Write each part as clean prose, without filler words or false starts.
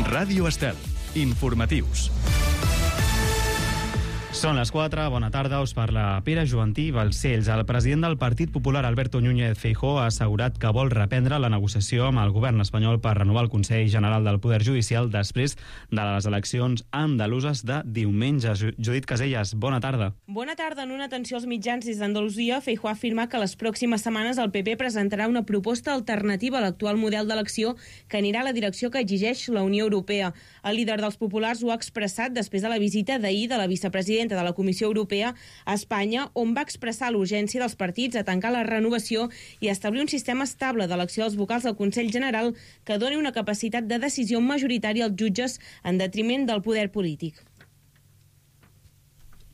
Ràdio Estel. Informatius. Són les 4, bona tarda, us parla Pere Joantí Balcells. El president del Partit Popular, Alberto Núñez Feijóo, ha assegurat que vol reprendre la negociació amb el govern espanyol per renovar el Consell General del Poder Judicial després de les eleccions andaluses de diumenge. Judit Caselles, bona tarda. Bona tarda. En una atenció als mitjans des d'Andalusia, Feijóo afirma que les pròximes setmanes el PP presentarà una proposta alternativa a l'actual model d'elecció que anirà a la direcció que exigeix la Unió Europea. El líder dels populars ho ha expressat després de la visita d'ahir de la vicepresidenta de la Comissió Europea a Espanya, on va expressar l'urgència dels partits a tancar la renovació i establir un sistema estable d'elecció dels vocals del Consell General que doni una capacitat de decisió majoritària als jutges en detriment del poder polític.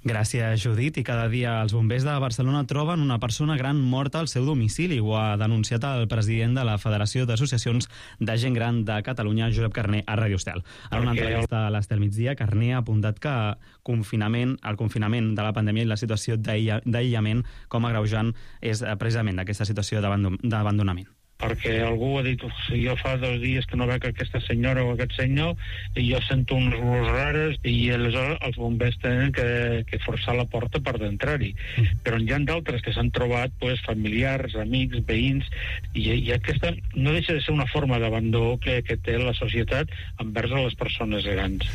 Gràcies, Judit. I cada dia els bombers de Barcelona troben una persona gran morta al seu domicili. Ho ha denunciat el president de la Federació d'Associacions de Gent Gran de Catalunya, Josep Carner, a Ràdio Estel. En una entrevista a l'Estel Migdia, Carner ha apuntat que el confinament de la pandèmia i la situació d'aïllament com a agreujant és precisament aquesta situació d'abandonament. Perquè algú ha dit, jo fa 2 dies que no veig aquesta senyora o aquest senyor i jo sento unes olors rares i aleshores els bombers tenen que forçar la porta per d'entrar-hi. Però hi ha d'altres que s'han trobat familiars, amics, veïns, i aquesta no deixa de ser una forma d'abandó que té la societat envers les persones grans.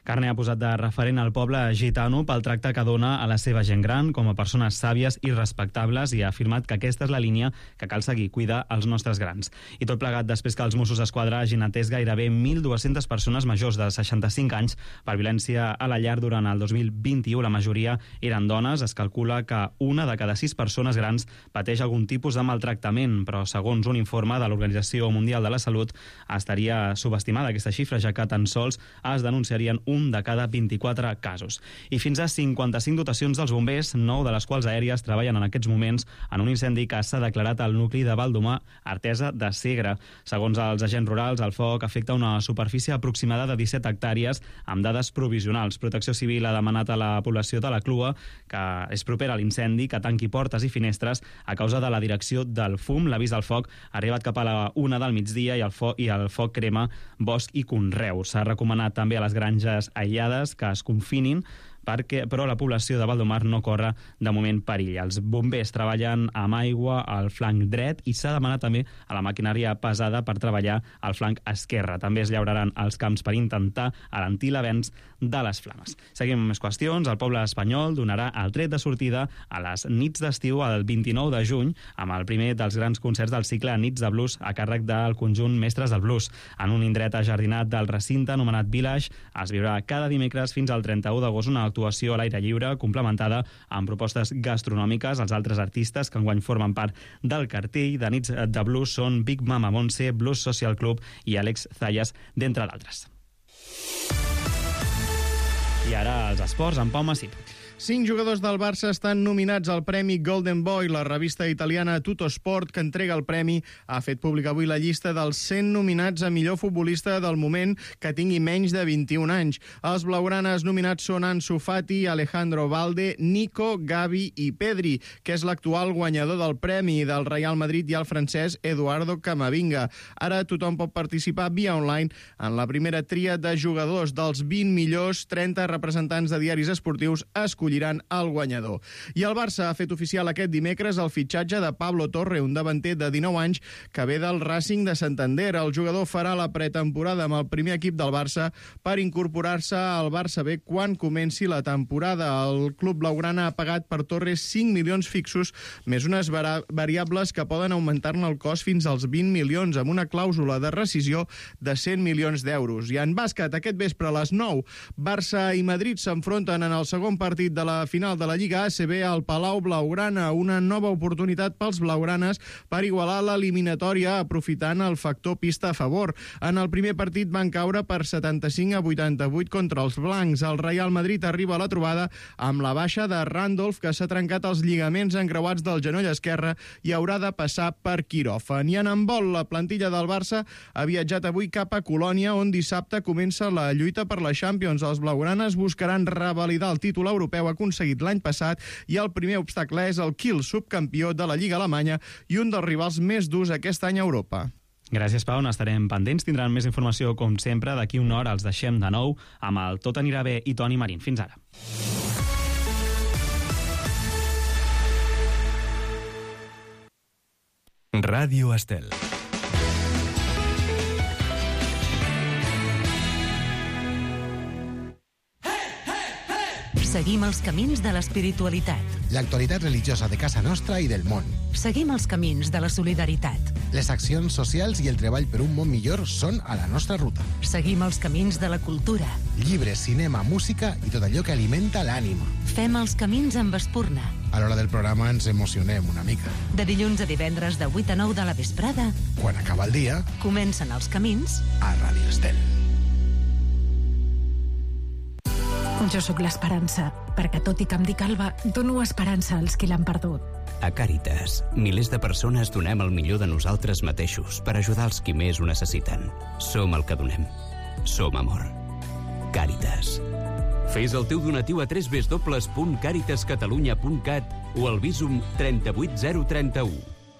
Carner ha posat de referent al poble gitano pel tracte que dona a la seva gent gran com a persones sàvies i respectables i ha afirmat que aquesta és la línia que cal seguir, cuidar els nostres grans. I tot plegat després que els Mossos d'Esquadra hagin atès gairebé 1.200 persones majors de 65 anys per violència a la llar durant el 2021. La majoria eren dones. Es calcula que 1 de cada 6 persones grans pateix algun tipus de maltractament, però segons un informe de l'Organització Mundial de la Salut estaria subestimada aquesta xifra, ja que tan sols es denunciarien 1 de cada 24 casos. I fins a 55 dotacions dels bombers, 9 de les quals aèries, treballen en aquests moments en un incendi que s'ha declarat al nucli de Baldomar, Artesa de Segre. Segons els agents rurals, el foc afecta una superfície aproximada de 17 hectàrees amb dades provisionals. Protecció Civil ha demanat a la població de la Clua, que és propera a l'incendi, que tanqui portes i finestres a causa de la direcció del fum. L'avís del foc ha arribat cap a la 1 del migdia i el foc crema bosc i conreu. S'ha recomanat també a les granges aïllades que es confinin, però la població de Baldomar no corre de moment perill. Els bombers treballen amb aigua al flanc dret i s'ha demanat també a la maquinària pesada per treballar al flanc esquerre. També es llauraran els camps per intentar alentir l'avenç de les flames. Seguim amb més qüestions. El poble espanyol donarà el tret de sortida a les nits d'estiu el 29 de juny amb el primer dels grans concerts del cicle Nits de Blues a càrrec del conjunt Mestres del Blues. En un indret ajardinat del recinte anomenat Village es viurà cada dimecres fins al 31 d'agost una actuació a l'aire lliure complementada amb propostes gastronòmiques. Els altres artistes que enguany formen part del cartell de Nits de Blues són Big Mama Montse, Blues Social Club i Àlex Zayas, d'entre d'altres. I ara els esports amb Pau Massip. 5 jugadors del Barça estan nominats al Premi Golden Boy. La revista italiana Tuttosport, que entrega el premi, ha fet pública avui la llista dels 100 nominats a millor futbolista del moment que tingui menys de 21 anys. Els blaugranes nominats són Ansu Fati, Alejandro Valde, Nico, Gavi i Pedri, que és l'actual guanyador del premi del Real Madrid, i el francès Eduardo Camavinga. Ara tothom pot participar via online en la primera tria de jugadors. Dels 20 millors, 30 representants de diaris esportius escolliran el guanyador. I el Barça ha fet oficial aquest dimecres el fitxatge de Pablo Torre, un davanter de 19 anys que ve del Racing de Santander. El jugador farà la pretemporada amb el primer equip del Barça per incorporar-se al Barça B quan comenci la temporada. El club blaugrana ha pagat per Torre 5 milions fixos, més unes variables que poden augmentar-ne el cost fins als 20 milions, amb una clàusula de rescisió de 100 milions d'euros. I en bàsquet, aquest vespre a les 9, Barça i Madrid s'enfronten en el segon partit de la final de la Lliga ACB al Palau Blaugrana, una nova oportunitat pels blaugranes per igualar l'eliminatòria aprofitant el factor pista a favor. En el primer partit van caure per 75-88 contra els blancs. El Real Madrid arriba a la trobada amb la baixa de Randolph, que s'ha trencat els lligaments encreuats del genoll esquerre i haurà de passar per quiròfan. I en handbol, la plantilla del Barça ha viatjat avui cap a Colònia, on dissabte comença la lluita per la Champions. Els blaugranes buscaran revalidar el títol europeu aconseguit l'any passat i el primer obstacle és el Kiel, subcampió de la Lliga alemanya i un dels rivals més durs aquest any a Europa. Gràcies, Pau, n'estarem pendents. Tindran més informació, com sempre. D'aquí una hora els deixem de nou amb el Tot anirà bé i Toni Marín. Fins ara. Ràdio Estel. Seguim els camins de l'espiritualitat. L'actualitat religiosa de casa nostra i del món. Seguim els camins de la solidaritat. Les accions socials i el treball per un món millor són a la nostra ruta. Seguim els camins de la cultura. Llibres, cinema, música i tot allò que alimenta l'ànima. Fem els camins amb espurna. A l'hora del programa ens emocionem una mica. De dilluns a divendres de 8 a 9 de la vesprada, Quan acaba el dia, comencen els camins a Ràdio Estel. Jo sóc l'esperança, perquè tot i que em dic Alba, dono esperança als qui l'han perdut. A Càritas, milers de persones donem el millor de nosaltres mateixos per ajudar els qui més ho necessiten. Som el que donem. Som amor. Càritas. Fes el teu donatiu a www.caritascatalunya.cat o al Bizum 38031.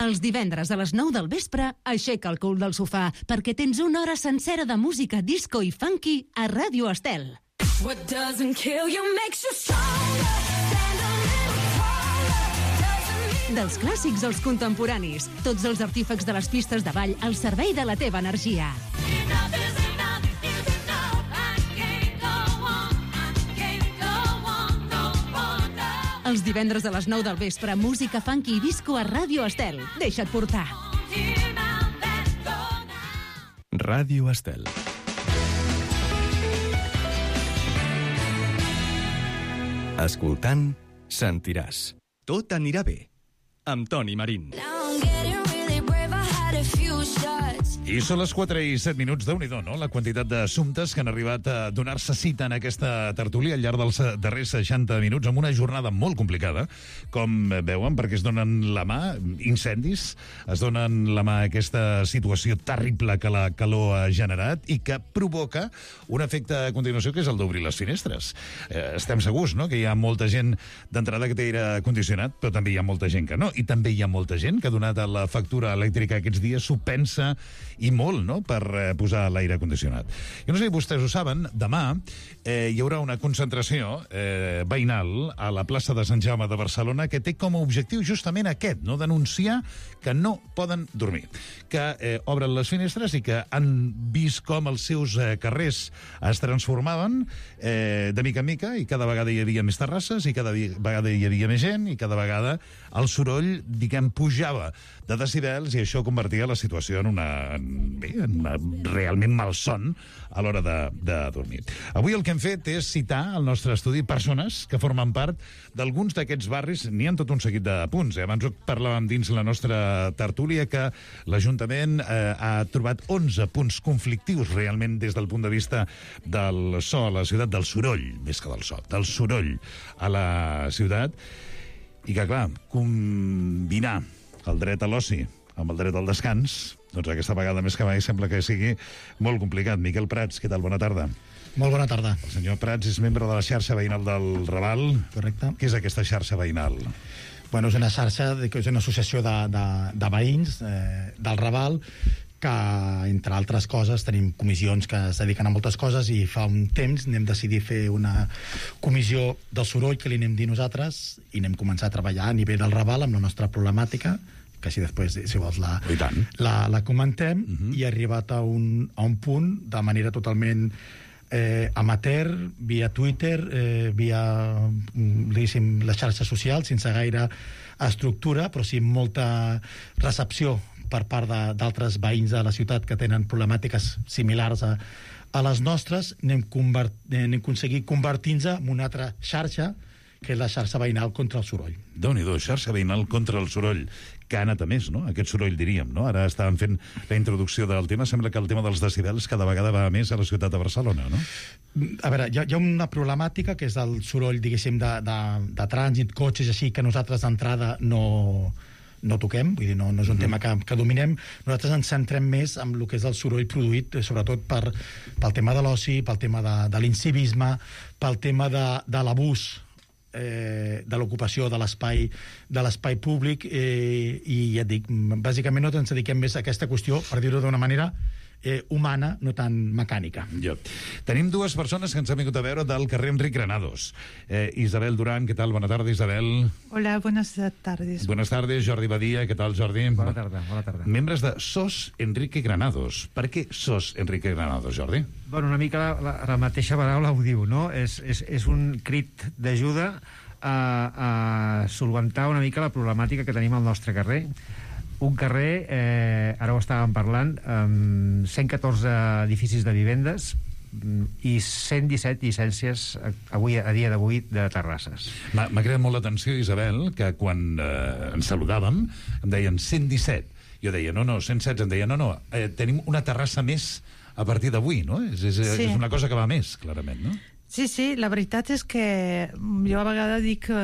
Els divendres a les 9 del vespre, aixeca el cul del sofà, perquè tens una hora sencera de música disco i funky a Ràdio Estel. What doesn't kill you makes you stronger. Stand a little taller. Dels clàssics als contemporanis, tots els artífecs de les pistes de ball al servei de la teva energia. Enough is enough is enough. I can't go on. I can't go on no more. Els divendres a les 9 del vespre, música funky i disco a Ràdio Estel. Deixa't portar. Ràdio Estel. Escoltant, sentiràs. Tot anirà bé. Amb Toni Marín. I són les 4 i 7 minuts, Déu-n'hi-do, no? La quantitat d'assumptes que han arribat a donar-se cita en aquesta tertúlia al llarg dels darrers 60 minuts, amb una jornada molt complicada, com veuen, perquè es donen la mà incendis, es donen la mà aquesta situació terrible que la calor ha generat i que provoca un efecte a continuació, que és el d'obrir les finestres. Estem segurs, no?, que hi ha molta gent d'entrada que té aire condicionat, però també hi ha molta gent que no. I també hi ha molta gent que ha donat a la factura elèctrica aquests dies, s'ho pensa i molt, no?, per posar l'aire condicionat. Jo no sé si vostès ho saben, demà hi haurà una concentració veïnal a la plaça de Sant Jaume de Barcelona que té com a objectiu justament aquest, no?, denunciar que no poden dormir, que obren les finestres i que han vist com els seus carrers es transformaven de mica en mica i cada vegada hi havia més terrasses i cada vegada hi havia més gent i cada vegada el soroll, diguem, pujava de decibels i això convertia la situació en una realment malson a l'hora de dormir. Avui el que hem fet és citar al nostre estudi persones que formen part d'alguns d'aquests barris. N'hi ha tot un seguit de punts. Abans ho parlàvem dins la nostra tertúlia que l'Ajuntament ha trobat 11 punts conflictius realment des del punt de vista del so a la ciutat, del soroll, més que del so, del soroll a la ciutat, i que, clar, combinar el dret a l'oci amb el dret al descans, doncs aquesta vegada més que mai sembla que sigui molt complicat. Miquel Prats, què tal? Bona tarda. Molt bona tarda. El senyor Prats és membre de la xarxa veïnal del Raval. Correcte. Què és aquesta xarxa veïnal? Bueno, és una xarxa, és una associació de veïns del Raval que, entre altres coses, tenim comissions que es dediquen a moltes coses i fa un temps anem decidir fer una comissió del soroll que li anem dir nosaltres i anem començar a treballar a nivell del Raval amb la nostra problemàtica, que si després, si vols, la comentem, i ha arribat a un punt de manera totalment amateur, via Twitter, via les xarxes socials, sense gaire estructura, però sí molta recepció per part d'altres veïns de la ciutat que tenen problemàtiques similars a les nostres. Anem aconseguit convertir-nos en una altra xarxa, que és la xarxa veïnal contra el soroll. Déu-n'hi-do, xarxa veïnal contra el soroll, que ha anat a més, no?, aquest soroll, diríem, no? Ara estàvem fent la introducció del tema, sembla que el tema dels decibels cada vegada va a més a la ciutat de Barcelona, no? A veure, hi ha una problemàtica, que és el soroll, diguéssim, de trànsit, cotxes, així, que nosaltres d'entrada no toquem, vull dir, no és un tema que dominem. Nosaltres ens centrem més en el que és el soroll produït, sobretot pel tema de l'oci, pel tema de l'incivisme, pel tema de l'abús de l'ocupació de l'espai públic, i ja et dic, bàsicament no ens dediquem més a aquesta qüestió, per dir-ho d'una manera humana, no tan mecànica. Tenim dues persones que ens han vingut a veure del carrer Enric Granados. Isabel Durán, ¿qué tal? Buenas tardes, Isabel. Hola, buenas tardes. Buenas tardes, Jordi Badia, ¿qué tal, Jordi? Bona tarda, bona tarda. Membres de SOS Enrique Granados. Per què SOS Enrique Granados, Jordi? Bueno, una mica la mateixa paraula ho diu, no? És un crit d'ajuda a solventar una mica la problemàtica que tenim al nostre carrer. Un carrer, ara ho estàvem parlant, amb 114 edificis de vivendes i 117 llicències a dia d'avui de terrasses. M'ha creat molt l'atenció, Isabel, que quan ens saludàvem em deien 117. Jo deia, no, 116. Em deia, no, tenim una terrassa més a partir d'avui, no? És una cosa que va més, clarament, no? Sí, la veritat és que jo a vegades dic que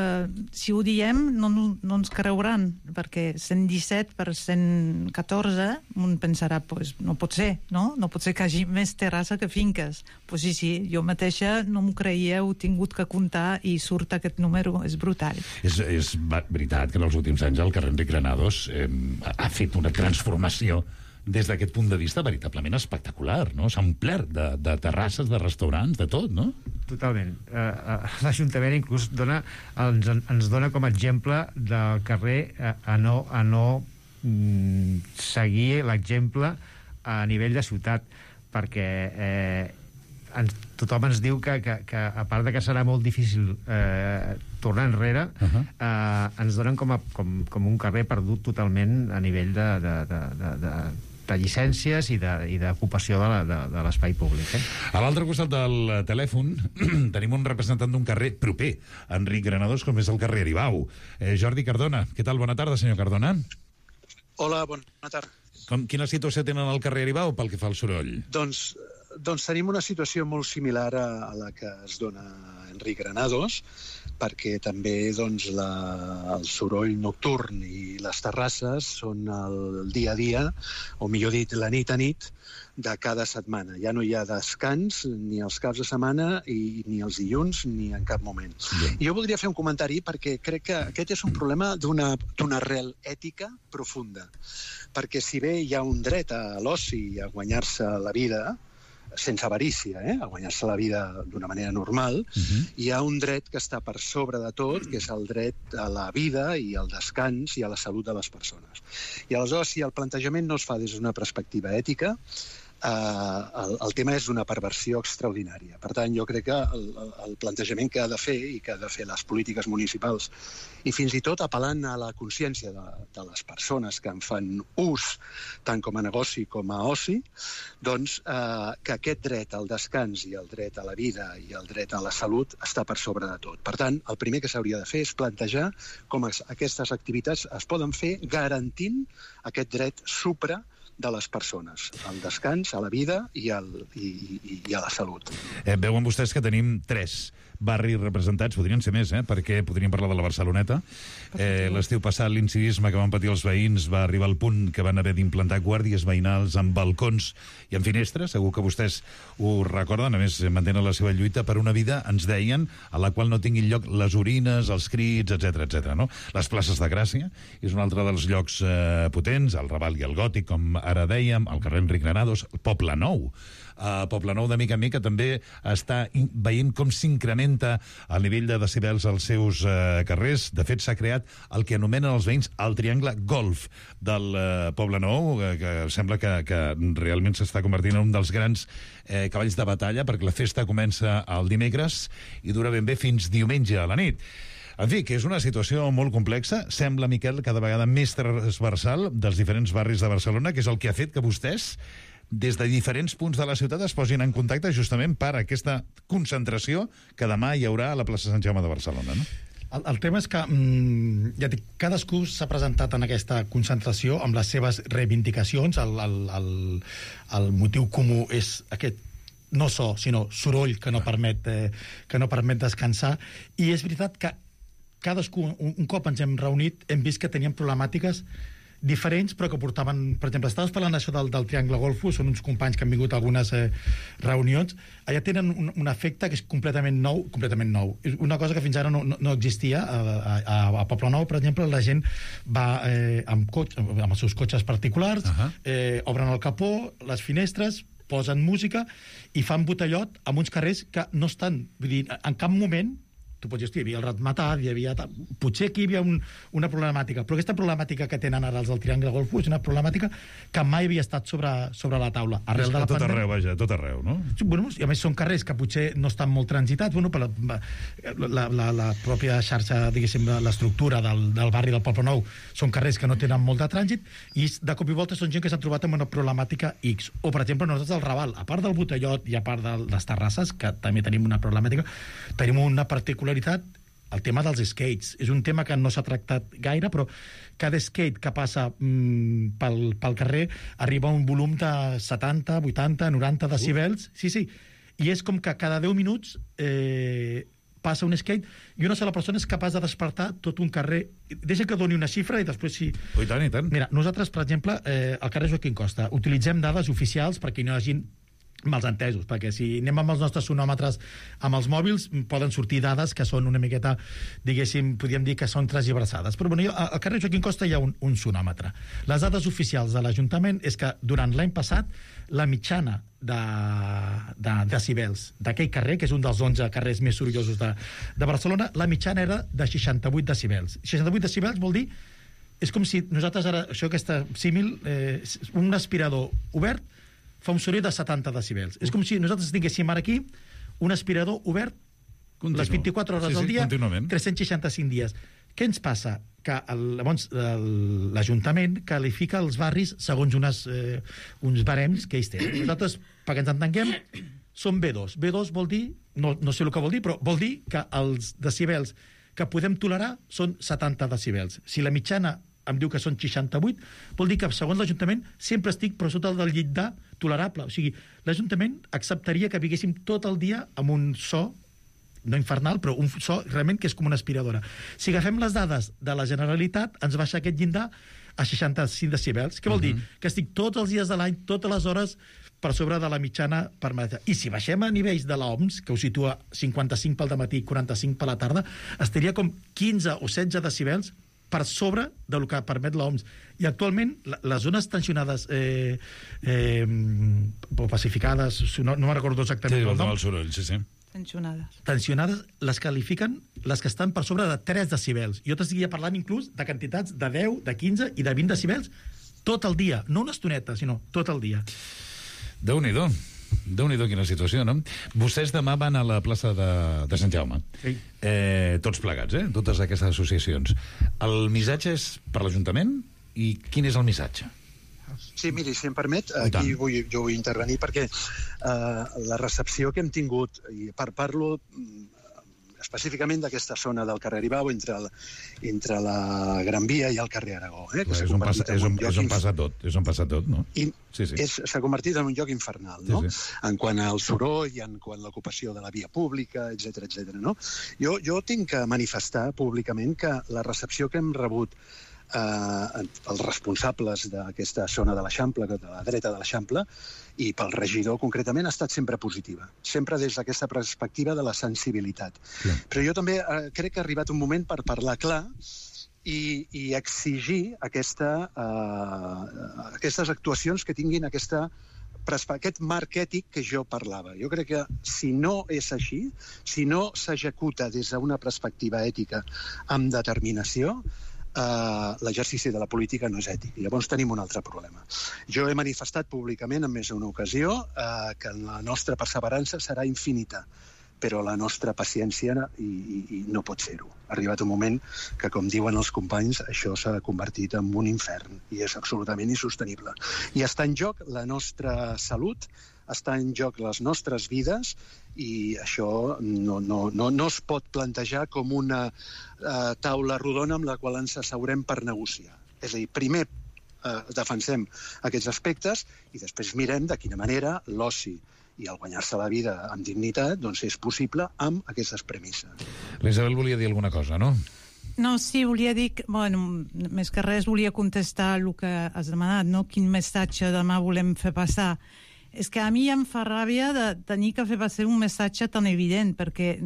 si ho diem no ens creuran, perquè 117 per 114 un pensarà, pues, no pot ser, no? No pot ser que hi hagi més terrassa que finques. Pues sí, jo mateixa no m'ho creia, ho he tingut que comptar i surt aquest número, és brutal. És veritat que en els últims anys el carrer Enric Granados ha fet una transformació des d'aquest punt de vista veritablement espectacular, no? S'ha omplert de terrasses, de restaurants, de tot, no? Totalment. L'Ajuntament inclús ens dona com a exemple del carrer a no seguir l'exemple a nivell de ciutat, perquè tothom ens diu que a part de que serà molt difícil tornar enrere, ens donen com un carrer perdut totalment a nivell de llicències i d'ocupació de l'espai públic. A l'altre costat del telèfon tenim un representant d'un carrer proper a Enric Granados, com és el carrer Aribau. Jordi Cardona. Què tal? Bona tarda, senyor Cardona. Hola, bona tarda. Quina situació tenen al carrer Aribau pel que fa al soroll? Doncs tenim una situació molt similar a la que es dona a Enric Granados, perquè també el soroll nocturn i les terrasses són el dia a dia, o millor dit, la nit a nit, de cada setmana. Ja no hi ha descans ni els caps de setmana ni els dilluns ni en cap moment. Jo voldria fer un comentari perquè crec que aquest és un problema d'una arrel ètica profunda. Perquè si bé hi ha un dret a l'oci i a guanyar-se la vida, sense avarícia, a guanyar-se la vida d'una manera normal, hi ha un dret que està per sobre de tot, que és el dret a la vida i al descans i a la salut de les persones. I aleshores, si el plantejament no es fa des d'una perspectiva ètica, el tema és d'una perversió extraordinària. Per tant, jo crec que el plantejament que ha de fer i que ha de fer les polítiques municipals i fins i tot apel·lant a la consciència de les persones que en fan ús tant com a negoci com a oci, doncs que aquest dret al descans i el dret a la vida i el dret a la salut està per sobre de tot. Per tant, el primer que s'hauria de fer és plantejar com aquestes activitats es poden fer garantint aquest dret supra de les persones, al descans, a la vida i a la salut. Veuen vostès que tenim 3 barris representats, podrien ser més, perquè podríem parlar de la Barceloneta. L'estiu passat l'incivisme que van patir els veïns va arribar al punt que van haver d'implantar guàrdies veïnals amb balcons i amb finestres. Segur que vostès ho recorden, a més mantenen la seva lluita per una vida, ens deien, a la qual no tinguin lloc les orines, els crits, etc. No? Les places de Gràcia és un altre dels llocs potents, el Raval i el Gòtic, com ara dèiem, el carrer Enric Granados, el Poble Nou. Poble Nou de mica en mica també està veient com s'incrementa el nivell de decibels als seus carrers. De fet, s'ha creat el que anomenen els veïns el triangle golf del Poble Nou, que sembla que realment s'està convertint en un dels grans cavalls de batalla, perquè la festa comença el dimecres i dura ben bé fins diumenge a la nit. En fi, que és una situació molt complexa, sembla, Miquel, cada vegada més transversal dels diferents barris de Barcelona, que és el que ha fet que vostès des de diferents punts de la ciutat es posin en contacte justament per aquesta concentració que demà hi haurà a la plaça Sant Jaume de Barcelona, no? El tema és que, ja dic, cadascú s'ha presentat en aquesta concentració amb les seves reivindicacions. El motiu comú és aquest no so, sinó soroll que no permet descansar. I és veritat que cadascú, un cop ens hem reunit, hem vist que teníem problemàtiques diferents, però que portaven... Per exemple, estaves parlant això del Triangle Golfo, són uns companys que han vingut a algunes reunions. Allà tenen un efecte que és completament nou. És una cosa que fins ara no existia. A Poblenou, per exemple, la gent va amb els seus cotxes particulars, obren el capó, les finestres, posen música i fan botellot amb uns carrers que no estan... Vull dir, en cap moment... Tu pots dir, hi havia el Ratmatat, hi havia... Potser aquí hi havia una problemàtica, però aquesta problemàtica que tenen ara els del Triangle Golfo és una problemàtica que mai havia estat sobre la taula. És que tot arreu, vaja, tot arreu, no? Bueno, i a més són carrers que potser no estan molt transitats, bueno, per la pròpia xarxa, diguéssim, l'estructura del barri del Poblenou, són carrers que no tenen molt de trànsit, i de cop i volta són gent que s'han trobat amb una problemàtica X. O, per exemple, nosaltres al Raval, a part del botellot i a part de les terrasses, que també tenim una problemàtica, tenim una particularitat, el tema dels skates. És un tema que no s'ha tractat gaire, però cada skate que passa pel carrer arriba a un volum de 70, 80, 90 decibels. Sí. I és com que cada 10 minuts passa un skate i una sola persona és capaç de despertar tot un carrer. Deixa que doni una xifra i després sí... I tant. Mira, nosaltres, per exemple, al carrer Joaquim Costa, utilitzem dades oficials perquè no hi hagi malentesos, perquè si anem amb els nostres sonòmetres amb els mòbils poden sortir dades que són una miqueta, diguéssim, podríem dir que són transversades. Però bueno, al carrer Joaquim Costa hi ha un sonòmetre. Les dades oficials de l'Ajuntament és que durant l'any passat la mitjana de decibels d'aquell carrer, que és un dels 11 carrers més sorollosos de Barcelona, la mitjana era de 68 decibels. 68 decibels vol dir, és com si nosaltres ara, això aquesta símil, un aspirador obert fa un soroll de 70 decibels. És com si nosaltres tinguéssim ara aquí un aspirador obert les 24 hores al dia, 365 dies. Què ens passa? Que llavors l'Ajuntament qualifica els barris segons uns barems que ells tenen. Nosaltres, perquè ens entenguem, som B2. B2 vol dir, no sé el que vol dir, però vol dir que els decibels que podem tolerar són 70 decibels. Si la mitjana em diu que són 68, vol dir que, segons l'Ajuntament, sempre estic per sota del llindar tolerable. O sigui, l'Ajuntament acceptaria que viguéssim tot el dia amb un so, no infernal, però un so realment que és com una aspiradora. Si agafem les dades de la Generalitat, ens baixa aquest llindar a 65 decibels. Què vol dir? Que estic tots els dies de l'any, totes les hores, per sobre de la mitjana permesa. I si baixem a nivells de l'OMS, que ho situa 55 pel dematí, 45 per la tarda, estaria com 15 o 16 decibels per sobre del que permet l'OMS. I actualment les zones tensionades o pacificades, no me'n recordo exactament el nom. El soroll, sí. Tensionades les qualifiquen les que estan per sobre de 3 decibels. Jo t'estic parlant inclús de quantitats de 10, de 15 i de 20 decibels tot el dia. No una estoneta, sinó tot el dia. Déu-n'hi-do. Déu-n'hi-do, quina situació, no? Vostès demà van a la plaça de Sant Jaume. Sí. Tots plegats, totes aquestes associacions. El missatge és per l'Ajuntament? I quin és el missatge? Sí, miri, si em permet, aquí jo vull intervenir perquè la recepció que hem tingut, i parlo específicament d'aquesta zona del carrer Aribau entre la Gran Via i el carrer Aragó. Que és on passa tot, no? I s'ha convertit en un lloc infernal, no? En quant al soroll i en quant a l'ocupació de la via pública, etc. no? Jo tinc que manifestar públicament que la recepció que hem rebut els responsables d'aquesta zona de l'Eixample, de la dreta de l'Eixample, i pel regidor concretament, ha estat sempre positiva. Sempre des d'aquesta perspectiva de la sensibilitat. Però jo també crec que ha arribat un moment per parlar clar i exigir aquestes actuacions que tinguin aquest marc ètic que jo parlava. Jo crec que si no és així, si no s'executa des d'una perspectiva ètica amb determinació, l'exercici de la política no és ètic. Llavors tenim un altre problema. Jo he manifestat públicament en més d'una ocasió que la nostra perseverança serà infinita, però la nostra paciència no pot ser-ho. Ha arribat un moment que, com diuen els companys, això s'ha convertit en un infern i és absolutament insostenible. I està en joc la nostra salut, està en joc les nostres vides i això no es pot plantejar com una taula rodona amb la qual ens asseurem per negociar. És a dir, primer defensem aquests aspectes i després mirem de quina manera l'oci i el guanyar-se la vida amb dignitat doncs és possible amb aquestes premisses. L'Isabel volia dir alguna cosa, no? No, sí, volia dir que, bueno, més que res volia contestar el que has demanat, no? Quin missatge demà volem fer passar. És que a mi em fa ràbia de tenir que fer passar un missatge tan evident, perquè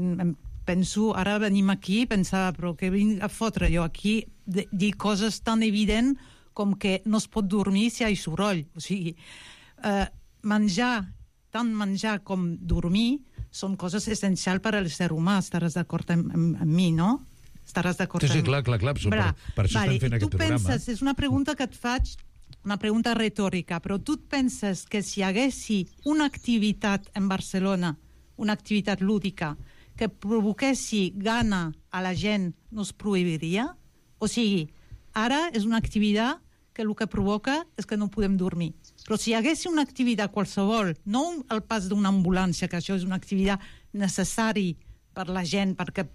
penso, ara venim aquí, pensava, però què vinc a fotre jo aquí, dir coses tan evidents com que no es pot dormir si hi ha soroll. O sigui, menjar, tant menjar com dormir, són coses essencials per al ser humà. Estaràs d'acord amb mi, no? Estaràs d'acord amb mi? Sí, clar. Per això estem fent aquest programa. Penses, és una pregunta que et faig, una pregunta retòrica, però tu et penses que si hi haguessi una activitat en Barcelona, una activitat lúdica, que provoquessi gana a la gent, no es prohibiria? O sigui, ara és una activitat que el que provoca és que no podem dormir. Però si hi haguessi una activitat qualsevol, no el pas d'una ambulància, que això és una activitat necessària per la gent perquè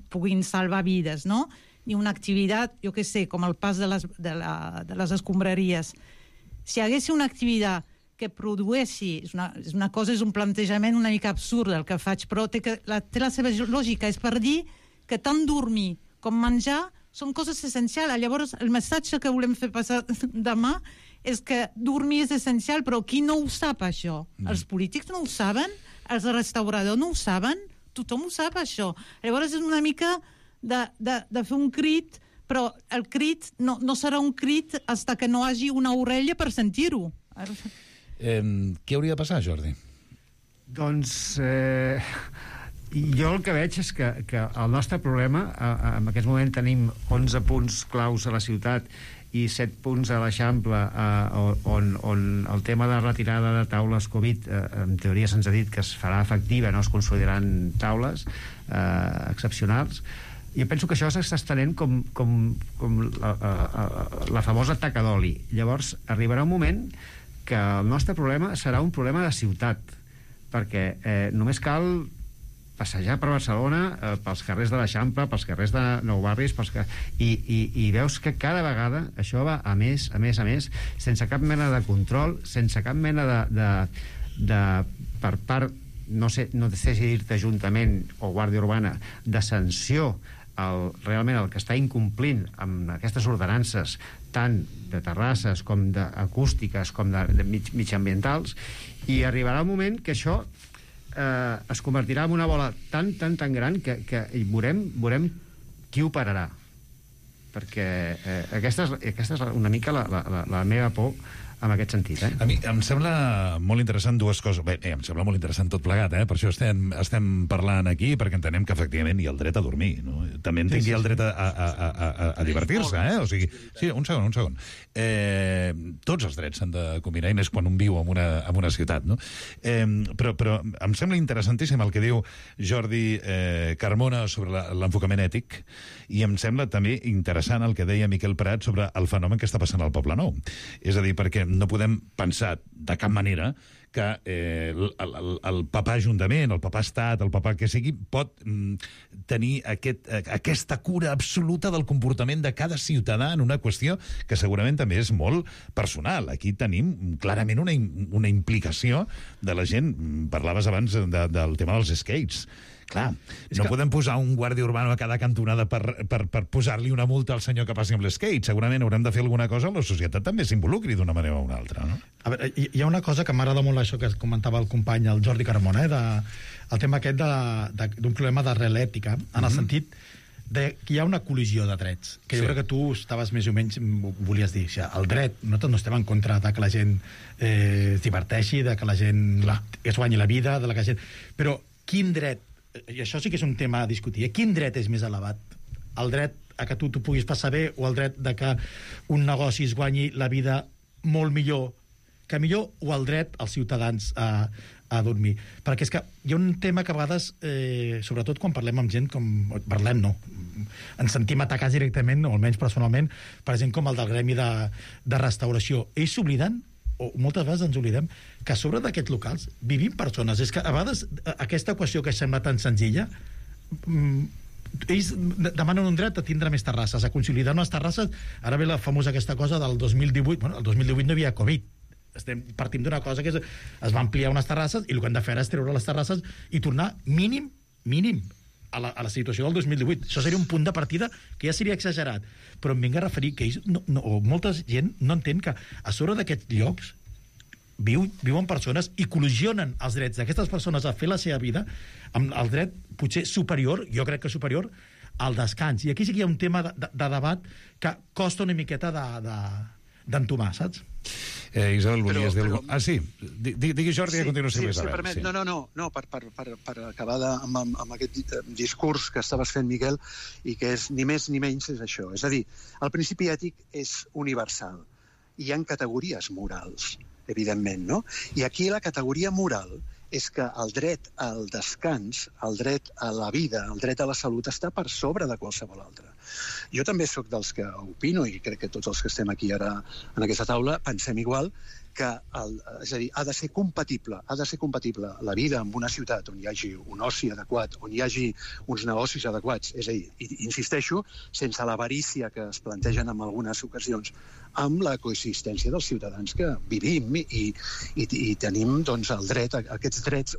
puguin salvar vides, no? Ni una activitat, jo què sé, com el pas de les escombraries. Si hi hagués una activitat que produeixi, és un plantejament una mica absurd el que faig, però té la seva lògica, és per dir que tant dormir com menjar són coses essencials. Llavors, el missatge que volem fer passar demà és que dormir és essencial, però qui no ho sap, això? Els polítics no ho saben? Els restauradors no ho saben? Tothom ho sap, això. Llavors és una mica de fer un crit, però el crit no serà un crit fins que no hagi una orella per sentir-ho. Què hauria de passar, Jordi? Doncs jo el que veig és que el nostre problema, en aquest moment tenim 11 punts claus a la ciutat i 7 punts a l'Eixample, on el tema de retirada de taules Covid, en teoria se'ns ha dit que es farà efectiva, no es consolidaran taules excepcionals. Jo penso que això s'està estenent com la famosa taca d'oli. Llavors arribarà un moment que el nostre problema serà un problema de ciutat, perquè només cal passejar per Barcelona, pels carrers de l'Eixample, pels carrers de Nou Barris, i veus que cada vegada això va a més, sense cap mena de control, sense cap mena de per part, no sé si dir-te Ajuntament o Guàrdia Urbana, de sanció realment el que està incomplint amb aquestes ordenances tant de terrasses com d'acústiques com de mitjambientals, i arribarà un moment que això es convertirà en una bola tan gran que veurem qui ho pararà, perquè aquesta és una mica la meva por en aquest sentit. A mi em sembla molt interessant dues coses. Bé, em sembla molt interessant tot plegat, per això estem parlant aquí, perquè entenem que efectivament hi ha el dret a dormir, no? També entenc que hi ha el dret a divertir-se, o sigui... Sí, un segon. Tots els drets s'han de combinar, i més quan un viu en una ciutat, no? Però em sembla interessantíssim el que diu Jordi Carmona sobre l'enfocament ètic, i em sembla també interessant el que deia Miquel Prat sobre el fenomen que està passant al Poble Nou. És a dir, perquè no podem pensar de cap manera que el papà Ajuntament, el papà Estat, el papà que sigui, pot tenir aquesta cura absoluta del comportament de cada ciutadà en una qüestió que segurament també és molt personal. Aquí tenim clarament una implicació de la gent. Parlaves abans del tema dels skates. Clar, no podem posar un guàrdia urbà a cada cantonada per posar-li una multa al senyor que passi amb l'skate. Segurament haurem de fer alguna cosa on la societat també s'involucri d'una manera o una altra, no? A veure, hi ha una cosa que m'agrada molt, això que comentava el company, el Jordi Carmona, el tema aquest d'un problema d'arrel ètica, en el sentit que hi ha una col·lisió de drets, que jo crec que tu estaves més o menys, volies dir, el dret, nosaltres no estem en contra de que la gent es diverteixi, de que la gent es guanyi la vida, de la que la gent... Però quin dret, i això sí que és un tema a discutir, quin dret és més elevat? El dret a que tu puguis passar bé, o el dret de que un negoci es guanyi la vida molt millor, o el dret als ciutadans a dormir? Perquè és que hi ha un tema que a vegades, sobretot quan parlem amb gent ens sentim atacats directament, o almenys personalment, per gent com el del gremi de restauració. Ells s'obliden, o moltes vegades ens oblidem, que a sobre d'aquests locals vivim persones. És que a vegades aquesta equació que sembla tan senzilla, ells demanen un dret a tindre més terrasses, a consolidar unes terrasses. Ara ve la famosa aquesta cosa del 2018. Bueno, el 2018 no hi havia Covid. Partim d'una cosa que es va ampliar unes terrasses, i el que han de fer és treure les terrasses i tornar mínim a la situació del 2018. Això seria un punt de partida que ja seria exagerat, però em vinc a referir que ells, o molta gent no entén que a sobre d'aquests llocs viuen persones i col·lisionen els drets d'aquestes persones a fer la seva vida amb el dret potser superior, jo crec que superior, al descans. I aquí sí que hi ha un tema de debat que costa una miqueta d'entomar, saps? Isabel, volies dir alguna cosa? Ah, sí. Digui Jordi i a continuació Isabel. Permet. No, per acabar amb aquest discurs que estaves fent, Miquel, i que és ni més ni menys és això. És a dir, el principi ètic és universal. Hi ha categories morals, evidentment, no? I aquí la categoria moral és que el dret al descans, el dret a la vida, el dret a la salut està per sobre de qualsevol altre. Jo també sóc dels que opino, i crec que tots els que estem aquí ara en aquesta taula pensem igual, que és a dir, ha de ser compatible la vida en una ciutat on hi hagi un oci adequat, on hi hagi uns negocis adequats, és a dir, insisteixo, sense l'avarícia que es plantegen en algunes ocasions, amb la coexistència dels ciutadans que vivim i tenim doncs, el dret, aquests drets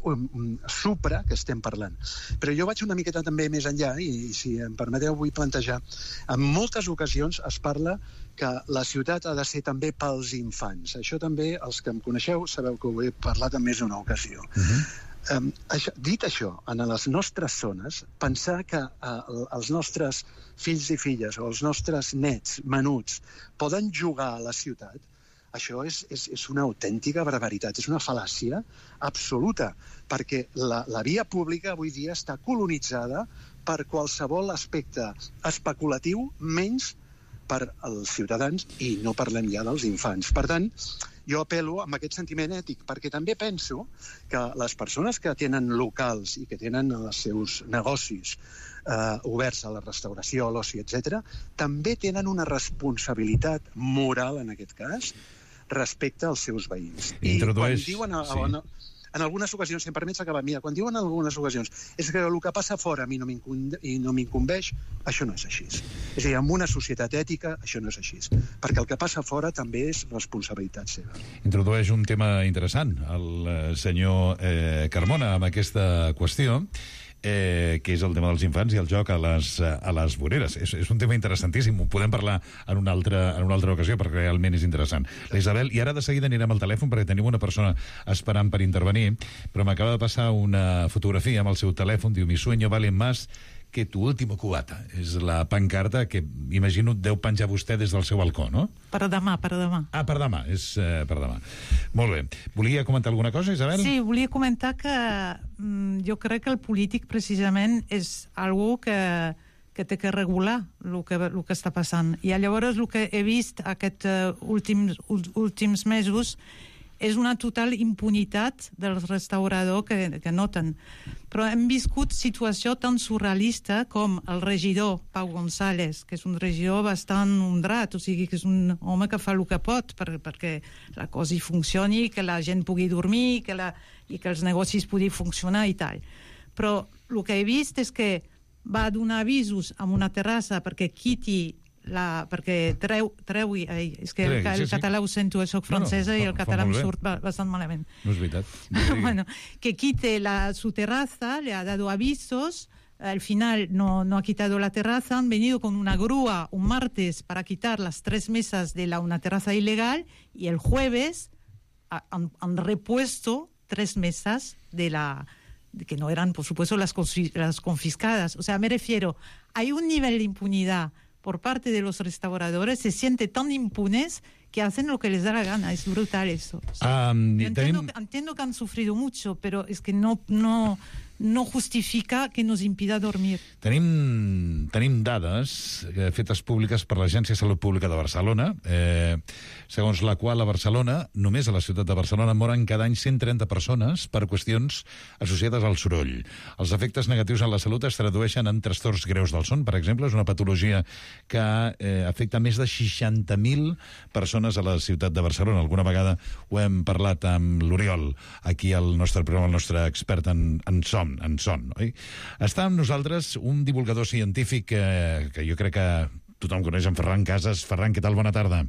supra que estem parlant. Però jo vaig una miqueta també més enllà, i si em permeteu vull plantejar, en moltes ocasions es parla que la ciutat ha de ser també pels infants. Això també, els que em coneixeu, sabeu que ho he parlat en més d'una ocasió. Dit això, en les nostres zones, pensar que els nostres fills i filles o els nostres nets menuts poden jugar a la ciutat, això és una autèntica barbaritat, és una fal·làcia absoluta, perquè la via pública avui dia està colonitzada per qualsevol aspecte especulatiu, menys per als ciutadans, i no parlem ja dels infants. Per tant, jo apel·lo amb aquest sentiment ètic, perquè també penso que les persones que tenen locals i que tenen els seus negocis oberts a la restauració, a l'oci, etc., també tenen una responsabilitat moral, en aquest cas, respecte als seus veïns. I quan diuen en algunes ocasions, si em permets acabar, mira, quan diuen en algunes ocasions és que el que passa fora a mi no m'incumbeix, això no és així. És a dir, en una societat ètica això no és així, perquè el que passa fora també és responsabilitat seva. Introdueix un tema interessant el senyor Carmona amb aquesta qüestió, que és el tema dels infants i el joc a les voreres. És un tema interessantíssim, ho podem parlar en una altra ocasió, perquè realment és interessant. La Isabel, i ara de seguida anirem al telèfon perquè tenim una persona esperant per intervenir, però m'acaba de passar una fotografia amb el seu telèfon, diu, mi sueño vale más que tu último cubata. És la pancarta que, imagino, deu penjar vostè des del seu balcó, no? Per demà. Ah, per demà, és per demà. Molt bé. Volia comentar alguna cosa, Isabel? Sí, volia comentar que jo crec que el polític, precisament, és algú que té que regular el que està passant. I llavors el que he vist aquests últims mesos és una total impunitat dels restauradors que noten. Però hem viscut situació tan surrealista com el regidor Pau González, que és un regidor bastant honrat, o sigui que és un home que fa el que pot perquè la cosa hi funcioni, que la gent pugui dormir i que els negocis puguin funcionar i tal. Però el que he vist és que va donar avisos amb una terrassa perquè quiti perquè treui... És que el català ho sento, soc francesa i el català em surt bastant malament. No és veritat. Bueno, que quite su terraza, le ha dado avisos, al final no ha quitado la terraza, han venido con una grúa un martes para quitar las 3 mesas de una terraza ilegal y el jueves han repuesto 3 mesas que no eran, por supuesto, las confiscadas. O sea, me refiero, hay un nivel de impunidad por parte de los restauradores, se sienten tan impunes que hacen lo que les da la gana. Es brutal eso. O sea, entiendo que han sufrido mucho, pero es que no justifica que nos impida dormir. Tenim dades fetes públiques per l'Agència de Salut Pública de Barcelona, segons la qual a Barcelona, només a la ciutat de Barcelona, moren cada any 130 persones per qüestions associades al soroll. Els efectes negatius en la salut es tradueixen en trastorns greus del son, per exemple. És una patologia que afecta més de 60.000 persones a la ciutat de Barcelona. Alguna vegada ho hem parlat amb l'Oriol, aquí al nostre programa, el nostre expert en son, oi? Està amb nosaltres un divulgador científic que jo crec que tothom coneix, en Ferran Casas. Ferran, què tal? Bona tarda.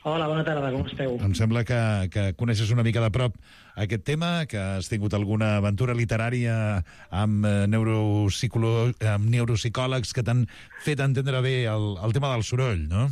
Hola, bona tarda, com esteu? Em sembla que coneixes una mica de prop aquest tema, que has tingut alguna aventura literària amb neuropsicòlegs que t'han fet entendre bé el tema del soroll, no?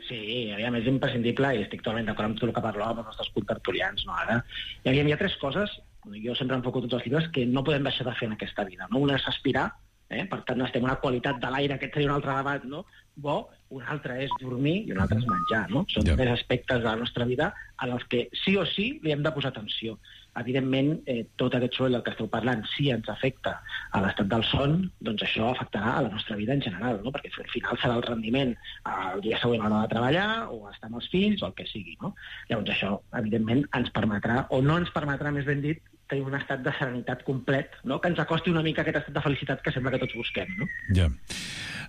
Sí, a més, imprescindible, i estic totalment d'acord amb tot el que parlàvem amb els nostres contertulians, no, ara? Hi ha 3 coses, jo sempre enfoco tots els llibres, que no podem deixar de fer en aquesta vida, no? Una és respirar, per tant, necessitem una qualitat de l'aire, aquest seria un altre debat, no? Bo, un altre és dormir i un altre és menjar, no? Són 3 aspectes de la nostra vida en els que sí o sí li hem de posar atenció. Evidentment, tot aquest soroll del que esteu parlant, si ens afecta a l'estat del son, doncs això afectarà a la nostra vida en general, no? Perquè al final serà el rendiment el dia següent a l'hora de treballar o estar amb els fills o el que sigui, no? Llavors això, evidentment, ens permetrà, o no ens permetrà, més ben dit, tenir un estat de serenitat complet, no? Que ens acosti una mica a aquest estat de felicitat que sembla que tots busquem, no? Ja.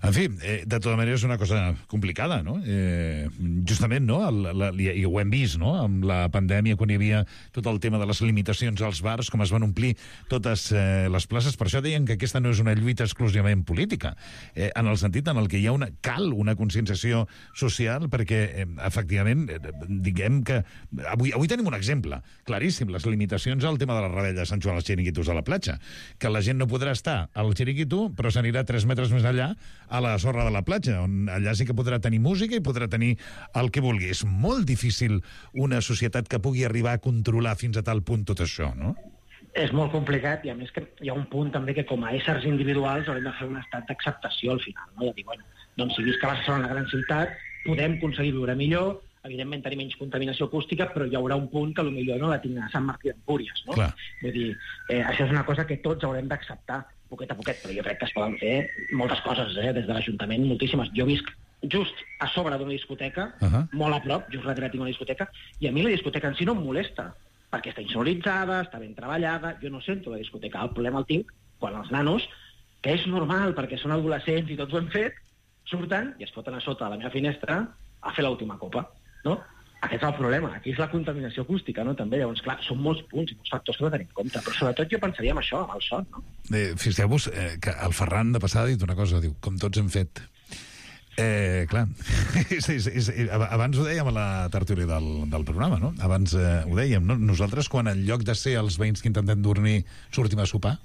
En fi, de tota manera és una cosa complicada, no? Justament, no? I ho hem vist, no? Amb la pandèmia, quan hi havia tot el tema de les limitacions als bars, com es van omplir totes les places. Per això deien que aquesta no és una lluita exclusivament política, en el sentit en el que cal una conscienciació social, perquè, efectivament, diguem que... Avui tenim un exemple claríssim, les limitacions al tema de la rebella de Sant Joan als xiringuitos a la platja, que la gent no podrà estar al xiringuito, però s'anirà 3 metres més allà, a la sorra de la platja, on allà sí que podrà tenir música i podrà tenir el que vulgui. És molt difícil una societat que pugui arribar a controlar fins a tal punt tot això, no? És molt complicat, i a més que hi ha un punt també que com a éssers individuals haurem de fer un estat d'acceptació al final, no? De dir, bueno, doncs si visc a Barcelona, la gran ciutat, podem aconseguir viure millor, evidentment tenir menys contaminació acústica, però hi haurà un punt que potser no la tinc a Sant Martí d'Empúries, no? Clar. Vull dir, això és una cosa que tots haurem d'acceptar poquet a poquet, però jo crec que es poden fer moltes coses, des de l'Ajuntament, moltíssimes. Jo visc just a sobre d'una discoteca, molt a prop, just darrere tinc una discoteca, i a mi la discoteca en si no em molesta, perquè està insonoritzada, està ben treballada, jo no sento la discoteca. El problema el tinc quan els nanos, que és normal, perquè són adolescents i tots ho hem fet, surten i es foten a sota de la meva finestra a fer l'última copa, no? Aquest és el problema, aquí és la contaminació acústica, no? També, llavors, clar, són molts punts i molts factors que no tenim en compte, però sobretot jo pensaria en això, amb el son, no? Fixeu-vos que el Ferran de passada ha dit una cosa, diu, com tots hem fet. Clar, abans ho dèiem a la tertúlia del programa, no? Abans ho dèiem, no? Nosaltres, quan en lloc de ser els veïns que intentem dormir, sortim a sopar,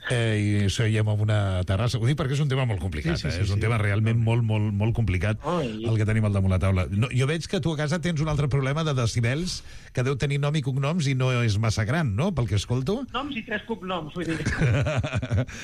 i seiem en una terrassa. Ho dic perquè és un tema molt complicat, és un tema realment molt complicat el que tenim al damunt la taula. Jo veig que tu a casa tens un altre problema de decibels que deu tenir nom i cognoms i no és massa gran, no?, pel que escolto. Noms i 3 cognoms, vull dir.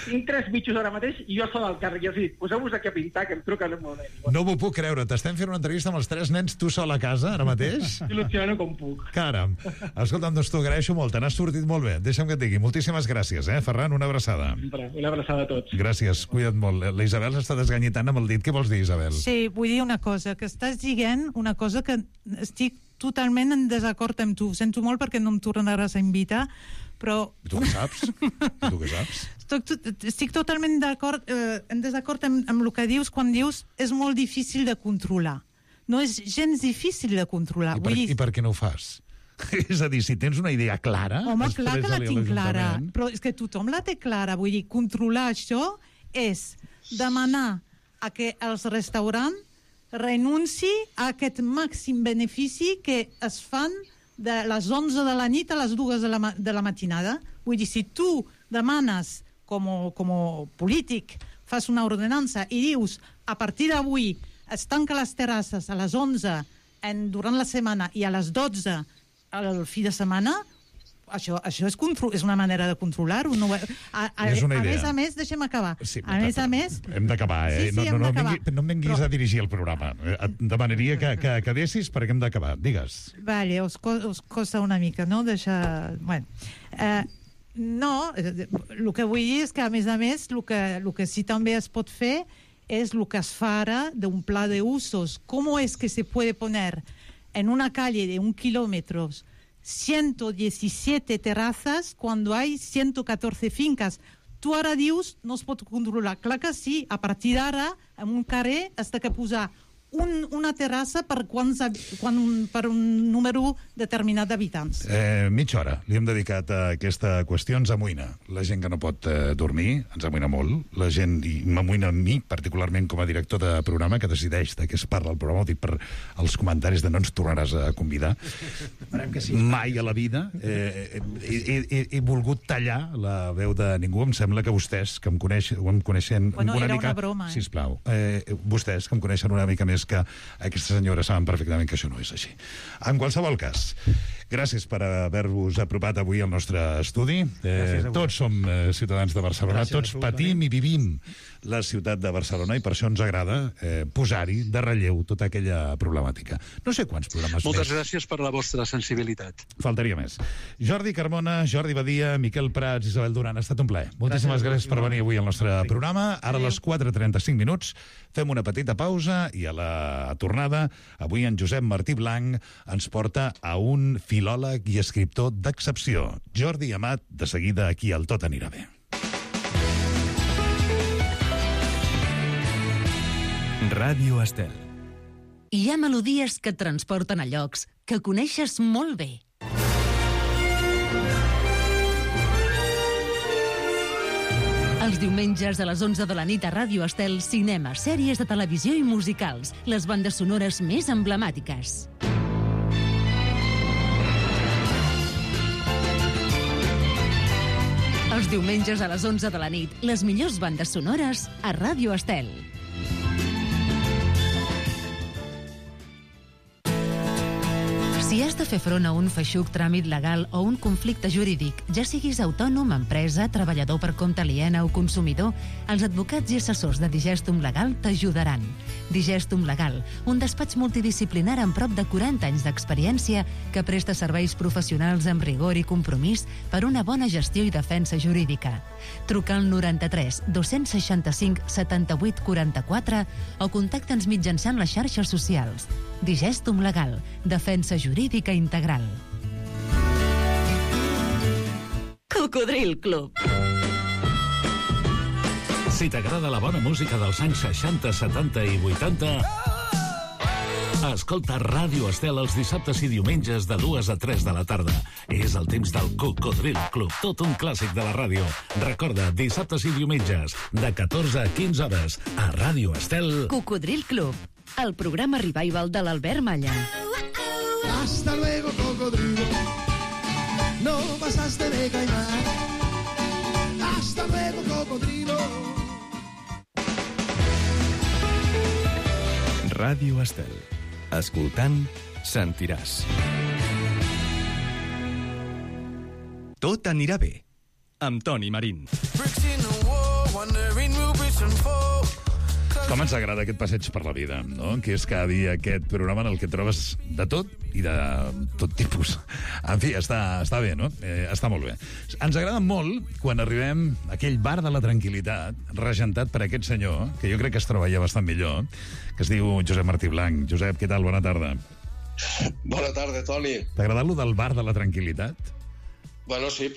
Tinc 3 bitxos ara mateix i jo soc del càrrec. I els dic, poseu-vos aquí a pintar, que em truquen un moment. No m'ho puc creure. T'estem fent una entrevista amb els 3 nens, tu sol a casa, ara mateix? Il·lusiono com puc. Caram. Escolta'm, doncs t'ho agraeixo molt. Te n'has sortit molt bé. Deixa'm que et digui. Moltíssimes gràcies, Ferran. Una abraçada. Una abraçada a tots. Gràcies, cuida't molt. La Isabel s'està desganyitant amb el dit. Què vols dir, Isabel? Sí, vull dir una cosa, que estàs dient una cosa que estic totalment en desacord amb tu. Sento molt perquè no em tornaràs a invitar, però... I tu què saps? Estic totalment en desacord amb el que dius quan dius és molt difícil de controlar. No és gens difícil de controlar. I per què no ho fas? És a dir, si tens una idea clara... Home, clar que la tinc clara, però és que tothom la té clara. Vull dir, controlar això és demanar a que els restaurants renunci a aquest màxim benefici que es fan de les 11 de la nit a les 2 de la matinada. Vull dir, si tu demanes, com a polític, fas una ordenança i dius, a partir d'avui es tanca les terrasses a les 11 durant la setmana i a les 12 al fi de setmana, això és una manera de controlar-ho. És una idea. A més, deixem acabar. Sí, a més... Hem d'acabar, Sí, hem d'acabar. No em venguis a dirigir el programa. Et demanaria que acabessis perquè hem d'acabar. Digues. Vale, us costa una mica, no? Deixar... Bueno. No, el que vull dir és que, a més, el que sí també es pot fer és el que es fa ara d'un pla d'usos. Com és que se puede poner en una calle de 1 kilómetro 117 terrazas cuando hay 114 fincas? Tu ara dius no es pot controlar. Clar que sí, a partir d'ara, en un carrer has de posar una terrassa per un número determinat d'habitants. Mitja hora li hem dedicat a aquesta qüestió. Ens amoïna la gent que no pot dormir, ens amoïna molt. La gent, i m'amoïna a mi, particularment com a director de programa, que decideix de què es parla al programa, ho dic per els comentaris de no ens tornaràs a convidar. Que sí. Mai a la vida he volgut tallar la veu de ningú. Em sembla que vostès, que em coneixen Bueno, una era mica... una broma, Sisplau, vostès, que em coneixen una mica més que aquesta senyora, saben perfectament que això no és així. En qualsevol cas, gràcies per haver-vos apropat avui al nostre estudi. Tots som ciutadans de Barcelona, tots patim i vivim la ciutat de Barcelona i per això ens agrada posar-hi de relleu tota aquella problemàtica. No sé quants programes Moltes gràcies per la vostra sensibilitat. Faltaria més. Jordi Carmona, Jordi Badia, Miquel Prats, Isabel Duran, ha estat un plaer. Moltíssimes gràcies per venir avui al nostre programa. Ara a les 4:35 minuts fem una petita pausa i a la tornada avui en Josep Martí Blanc ens porta a un filòleg i escriptor d'excepció. Jordi Amat, de seguida aquí al Tot anirà bé. Ràdio Estel. Hi ha melodies que et transporten a llocs que coneixes molt bé. Els diumenges a les 11 de la nit a Ràdio Estel, cinema, sèries de televisió i musicals, les bandes sonores més emblemàtiques. Els diumenges a les 11 de la nit, les millors bandes sonores a Ràdio Estel. Si has de fer front a un feixuc tràmit legal o un conflicte jurídic, ja siguis autònom, empresa, treballador per compte aliena o consumidor, els advocats i assessors de Digestum Legal t'ajudaran. Digestum Legal, un despatx multidisciplinar amb prop de 40 anys d'experiència que presta serveis professionals amb rigor i compromís per una bona gestió i defensa jurídica. Truca al 93 265 78 44 o contacta'ns mitjançant les xarxes socials. Digestum Legal, defensa jurídica integral. Cocodril Club. Si t'agrada la bona música dels anys 60, 70 i 80, escolta Ràdio Estel els dissabtes i diumenges de 2 a 3 de la tarda. És el temps del Cocodril Club, tot un clàssic de la ràdio. Recorda, dissabtes i diumenges, de 14 a 15 hores, a Ràdio Estel. Cocodril Club, el programa revival de l'Albert Malla. Hasta luego, cocodrilo. No pasaste de caimán. Hasta luego, cocodrilo. Ràdio Estel. Escoltant, sentiràs. Tot anirà bé, amb Toni Marín. Com ens agrada aquest passeig per la vida, no? Que és cada dia aquest programa en el que trobes de tot i de tot tipus. En fi, està bé, no? Està molt bé. Ens agrada molt quan arribem a aquell bar de la tranquil·litat, regentat per aquest senyor, que jo crec que es troba ja bastant millor, que es diu Josep Martí Blanc. Josep, què tal? Bona tarda. Bona tarda, Toni. T'ha agradat lo del bar de la tranquil·litat? Bueno, sí,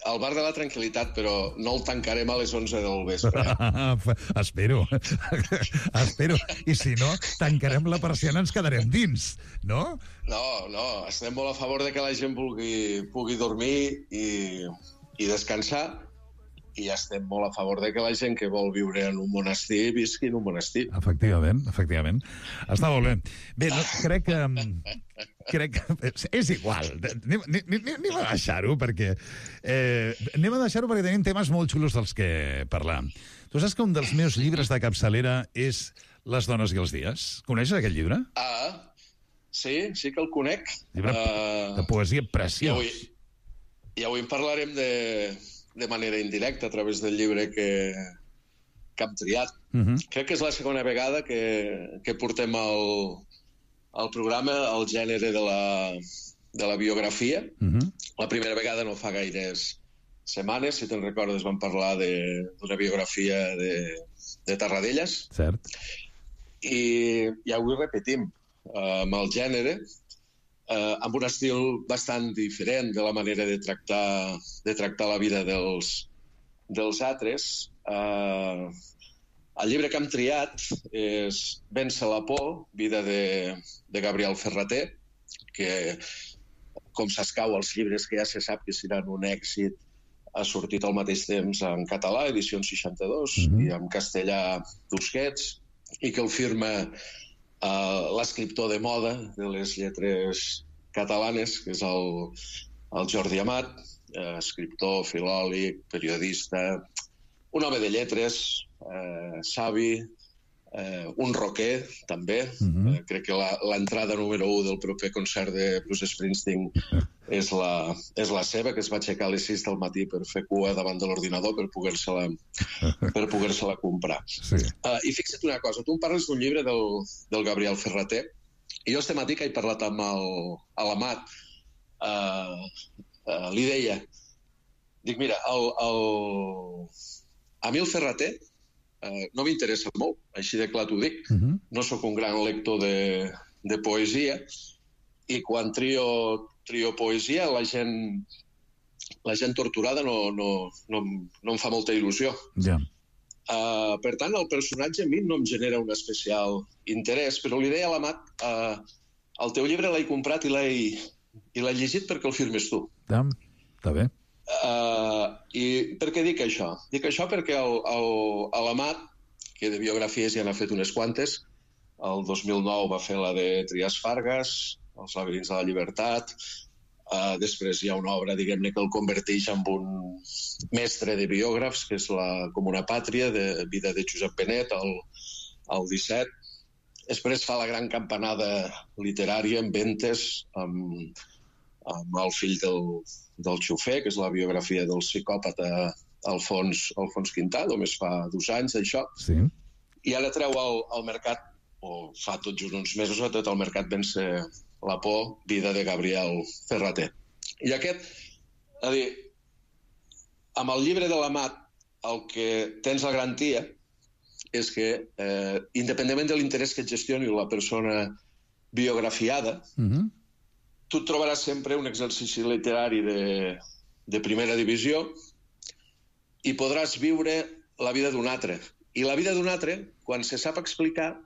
al bar de la tranquil·litat, però no el tancarem a les 11 del vespre. Espero. Espero. I si no, tancarem la persiana i ens quedarem dins, no? No, estem molt a favor de que la gent pugui dormir i descansar, i estem molt a favor de que la gent que vol viure en un monestir visqui en un monestir. Efectivament. Està molt bé. Bé, no, crec que és igual. Anem a deixar-ho perquè tenim temes molt xulos dels que parlar. Tu saps que un dels meus llibres de capçalera és Les dones i els dies? Coneixes aquest llibre? Sí que el conec. Llibre de poesia preciós. I avui en parlarem de manera indirecta a través del llibre que hem triat. Crec que és la segona vegada que portem al programa el gènere de la biografia. La primera vegada no fa gaires setmanes, si te'n recordes, vam parlar d'una biografia de Tarradellas. Cert. I avui repetim amb el gènere, amb un estil bastant diferent de la manera de tractar la vida dels altres. El llibre que hem triat és Vèncer la por, vida de Gabriel Ferrater, que, com s'escau als llibres que ja se sap que seran un èxit, ha sortit al mateix temps en català, edició 62, i en castellà Tusquets, i que el firma l'escriptor de moda de les lletres catalanes, que és el Jordi Amat, escriptor, filòleg, periodista, un home de lletres, savi, un rocker, també. Crec que l'entrada número 1 del proper concert de Bruce Springsteen és la seva, que es va aixecar a les 6 del matí per fer cua davant de l'ordinador per poder-se-la comprar. Sí. I fixa't una cosa, tu em parles d'un llibre del Gabriel Ferrater, i jo este matí que he parlat amb l'Amat, li deia, dic, mira, a mi el Ferrater no m'interessa molt, així de clar t'ho dic. No sóc un gran lector de poesia, i quan trio poesia la gent torturada no em fa molta il·lusió. Ja. Per tant, el personatge a mi no em genera un especial interès, però li deia a l'Amat, el teu llibre l'he comprat i l'he llegit perquè el firmes tu. Està bé. I per què dic això? Dic això perquè l'Amat, que de biografies ja n'ha fet unes quantes, el 2009 va fer la de Trias Fargas, Els laberints de la llibertat, després hi ha una obra, diguem-ne, que el converteix en un mestre de biògrafs, que és la Comuna Pàtria, de vida de Josep Benet, al 17. Després fa la gran campanada literària en Ventes, amb el fill del xofer, que és la biografia del psicòpata Alfons Quintà, només fa 2 anys d'això. Sí. I ara treu al mercat, o fa tot just uns mesos, a tot el mercat Vèncer la por, vida de Gabriel Ferrater. I aquest, a dir, amb el llibre de l'Amat, el que tens la garantia és que, independentment de l'interès que et gestioni la persona biografiada, tu et trobaràs sempre un exercici literari de primera divisió i podràs viure la vida d'un altre. I la vida d'un altre, quan se sap explicar,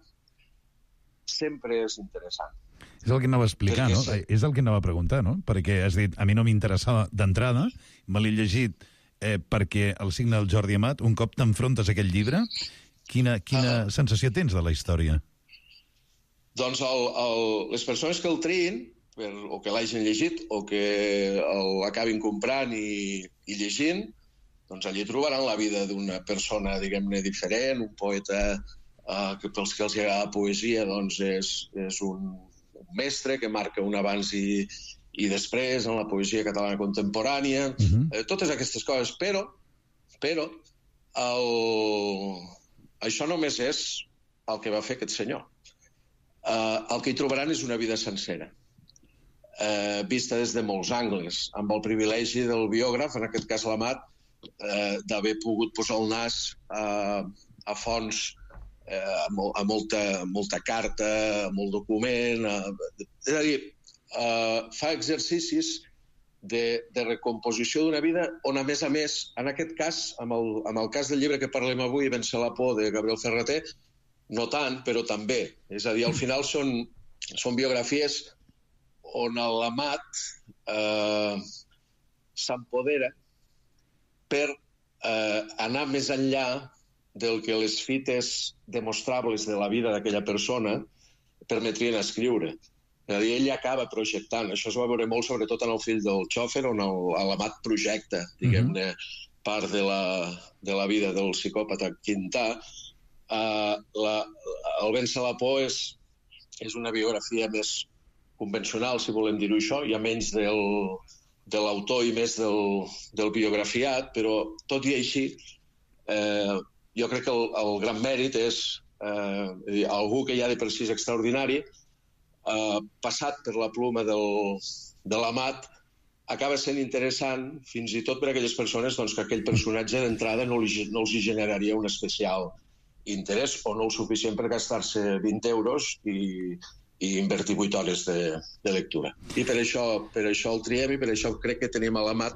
sempre és interessant. És el que anava a explicar, no? És el que anava a preguntar, no? Perquè has dit, a mi no m'interessava d'entrada, me l'he llegit perquè el signe del Jordi Amat, un cop t'enfrontes a aquest llibre, quina sensació tens de la història? Doncs les persones que el triïn, o que l'hagin llegit, o que l'acabin comprant i llegint, doncs allí trobaran la vida d'una persona, diguem-ne, diferent, un poeta que pels que els agrada la poesia doncs és un mestre que marca un abans i després en la poesia catalana contemporània, totes aquestes coses, però això només és el que va fer aquest senyor. El que hi trobaran és una vida sencera, vista des de molts angles, amb el privilegi del biògraf, en aquest cas l'Amat, d'haver pogut posar el nas a fonts, a molta carta, a molt document. És a dir, fa exercicis de recomposició d'una vida on, a més, en aquest cas, amb el cas del llibre que parlem avui, Vèncer la por, de Gabriel Ferrater, no tant, però també. És a dir, al final són biografies on l'Amat s'empodera per anar més enllà del que les fites demostrables de la vida d'aquella persona permetrien escriure. És a dir, ell acaba projectant. Això es va veure molt, sobretot en el fill del xòfer, on l'Amat projecta, diguem-ne, part de la vida del psicòpata Quintà. El Vèncer la por és una biografia més convencional, si volem dir-ho això, hi ha menys de l'autor i més del biografiat, però tot i així jo crec que el gran mèrit és algú que ja de per si és extraordinari, passat per la pluma de l'Amat, acaba sent interessant fins i tot per a aquelles persones que aquell personatge d'entrada no els generaria un especial interès o no el suficient per gastar-se 20 euros i invertir 8 hores de lectura. I per això el triem i per això crec que tenim a l'Amat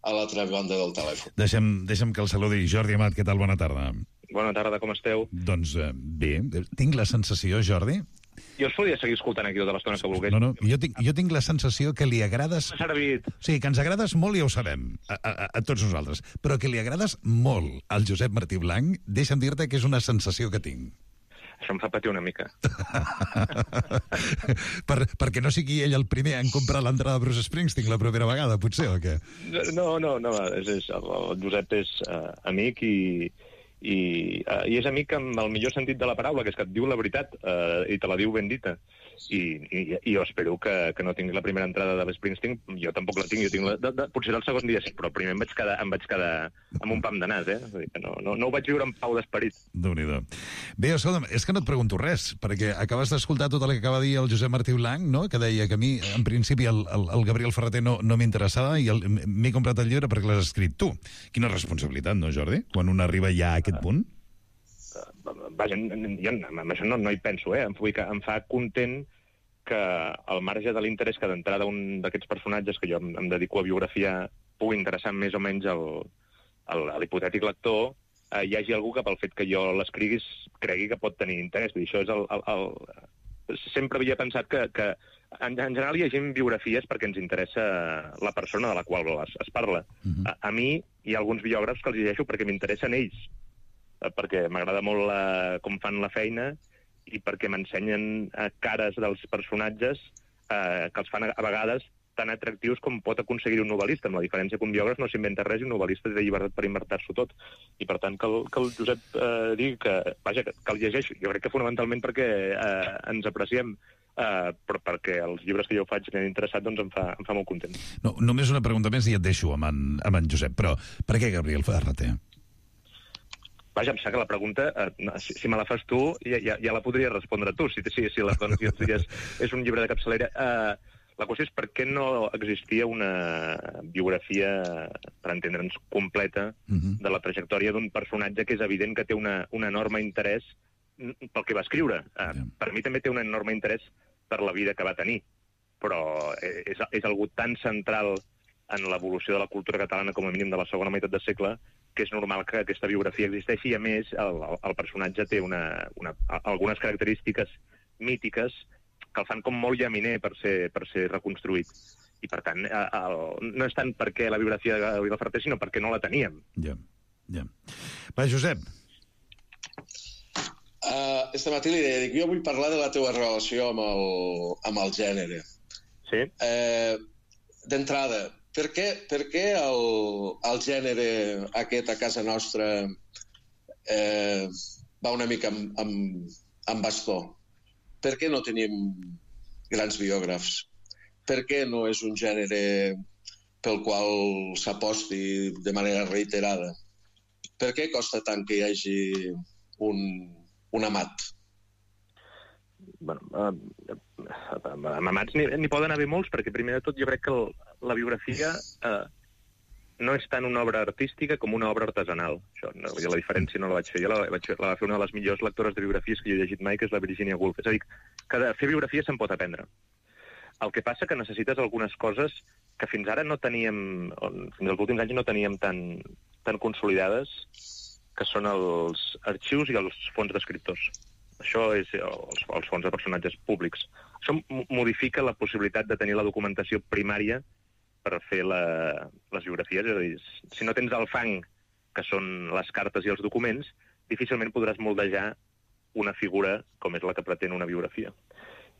a l'altra banda del telèfon. Deixa'm que el saludi. Jordi Amat, què tal? Bona tarda. Bona tarda, com esteu? Doncs bé, tinc la sensació, Jordi... Jo us podria seguir escoltant aquí tota l'estona que volgués. No, jo tinc la sensació que li agrades... M'ha servit. Sí, que ens agrades molt, ja ho sabem, a tots nosaltres, però que li agrades molt al Josep Martí Blanc, deixa'm dir-te que és una sensació que tinc. Això em fa patir una mica. Perquè no sigui ell el primer en comprar l'entrada de Bruce Springsteen la propera vegada, potser, o què? No, el Josep és amic i és amic amb el millor sentit de la paraula, que és que et diu la veritat i te la diu ben dita. I jo espero que no tingui la primera entrada de l'Springsteen. Jo tampoc la tinc, jo tinc potser el segon dia sí, però primer em vaig quedar amb un pam de nas, Vull dir que no ho vaig viure amb pau d'esperit. Déu-n'hi-do. Bé, escolta'm, és que no et pregunto res, perquè acabes d'escoltar tot el que acaba de dir el Josep Martí Blanc, no?, que deia que a mi, en principi, el Gabriel Ferreter no m'interessava i m'he comprat el llibre perquè l'has escrit tu. Quina responsabilitat, no, Jordi? Quan un arriba ja a aquest punt? Vaja, jo amb això no hi penso, em fa content que al marge de l'interès que d'entrada un d'aquests personatges que jo em dedico a biografiar pugui interessar més o menys a l'hipotètic lector, hi hagi algú que pel fet que jo l'escriguis cregui que pot tenir interès. Vull dir, això és sempre havia pensat que en general llegim biografies perquè ens interessa la persona de la qual es parla. A mi hi ha alguns biògrafs que els llegeixo perquè m'interessen ells, perquè m'agrada molt com fan la feina i perquè m'ensenyen cares dels personatges que els fan a vegades tan atractius com pot aconseguir un novel·lista, amb la diferència que un biògraf no s'inventa res i un novel·lista té llibertat per inventar-s'ho tot. I per tant que el Josep digui que el llegeix, jo crec que fonamentalment perquè ens apreciem, però perquè els llibres que jo faig m'han interessat, doncs em fa molt content. No, només una pregunta més i et deixo amb en Josep, però per què Gabriel Ferreter? Vaja, em sap que la pregunta, si me la fas tu, ja la podria respondre tu, si la és un llibre de capçalera. La qüestió és per què no existia una biografia, per entendre'ns, completa de la trajectòria d'un personatge que és evident que té un enorme interès pel que va escriure. Per mi també té un enorme interès per la vida que va tenir, però és algú tan central en l'evolució de la cultura catalana, com a mínim de la segona meitat del segle, que és normal que aquesta biografia existeixi, i a més el personatge té algunes característiques mítiques que el fan com molt llaminer per ser reconstruït. I per tant, no és tant perquè la biografia de Gabriel Ferreter, sinó perquè no la teníem. Ja. Va, Josep. Este matí li deia, jo vull parlar de la teva relació amb el gènere. Sí? D'entrada, per què el gènere aquest a casa nostra va una mica amb bastó? Per què no tenim grans biògrafs? Per què no és un gènere pel qual s'aposti de manera reiterada? Per què costa tant que hi hagi un amat? Bueno, amats n'hi poden haver molts, perquè primer de tot jo crec que la biografia no és tant una obra artística com una obra artesanal. Això, la diferència no la vaig fer. Jo la va fer una de les millors lectores de biografies que jo he llegit mai, que és la Virginia Woolf. És a dir, que de fer biografia se'n pot aprendre. El que passa que necessites algunes coses que fins ara no teníem, fins als últims anys no teníem tan consolidades, que són els arxius i els fons d'escriptors. Això és els fons de personatges públics. Això modifica la possibilitat de tenir la documentació primària per fer les biografies. És a dir, si no tens el fang, que són les cartes i els documents, difícilment podràs moldejar una figura com és la que pretén una biografia.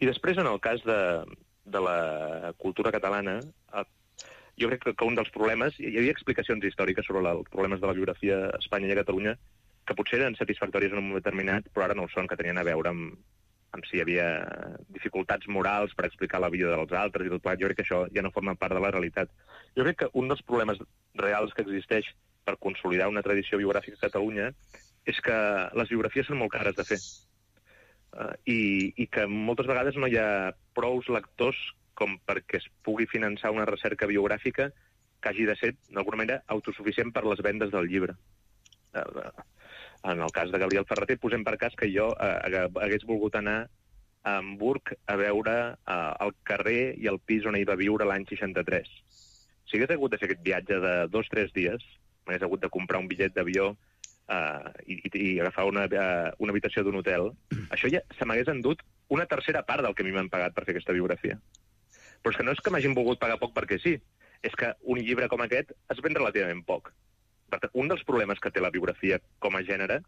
I després, en el cas de la cultura catalana, jo crec que un dels problemes, hi havia explicacions històriques sobre els problemes de la biografia a Espanya i a Catalunya, que potser eren satisfactòries en un moment determinat, però ara no ho són, que tenien a veure amb si hi havia dificultats morals per explicar la vida dels altres i tot plegat. Jo crec que això ja no forma part de la realitat. Jo crec que un dels problemes reals que existeix per consolidar una tradició biogràfica a Catalunya és que les biografies són molt cares de fer. I que moltes vegades no hi ha prous lectors com perquè es pugui finançar una recerca biogràfica que hagi de ser, d'alguna manera, autosuficient per les vendes del llibre. En el cas de Gabriel Ferreter, posem per cas que jo hagués volgut anar a Hamburg a veure el carrer i el pis on ell va viure l'any 63. Si hagués hagut de fer aquest viatge de 2 o 3 dies, m'hagués hagut de comprar un bitllet d'avió i agafar una habitació d'un hotel, això ja se m'hagués endut una tercera part del que a mi m'han pagat per fer aquesta biografia. Però és que no és que m'hagin volgut pagar poc perquè sí, és que un llibre com aquest es ven relativament poc. Per tant, un dels problemes que té la biografia com a gènere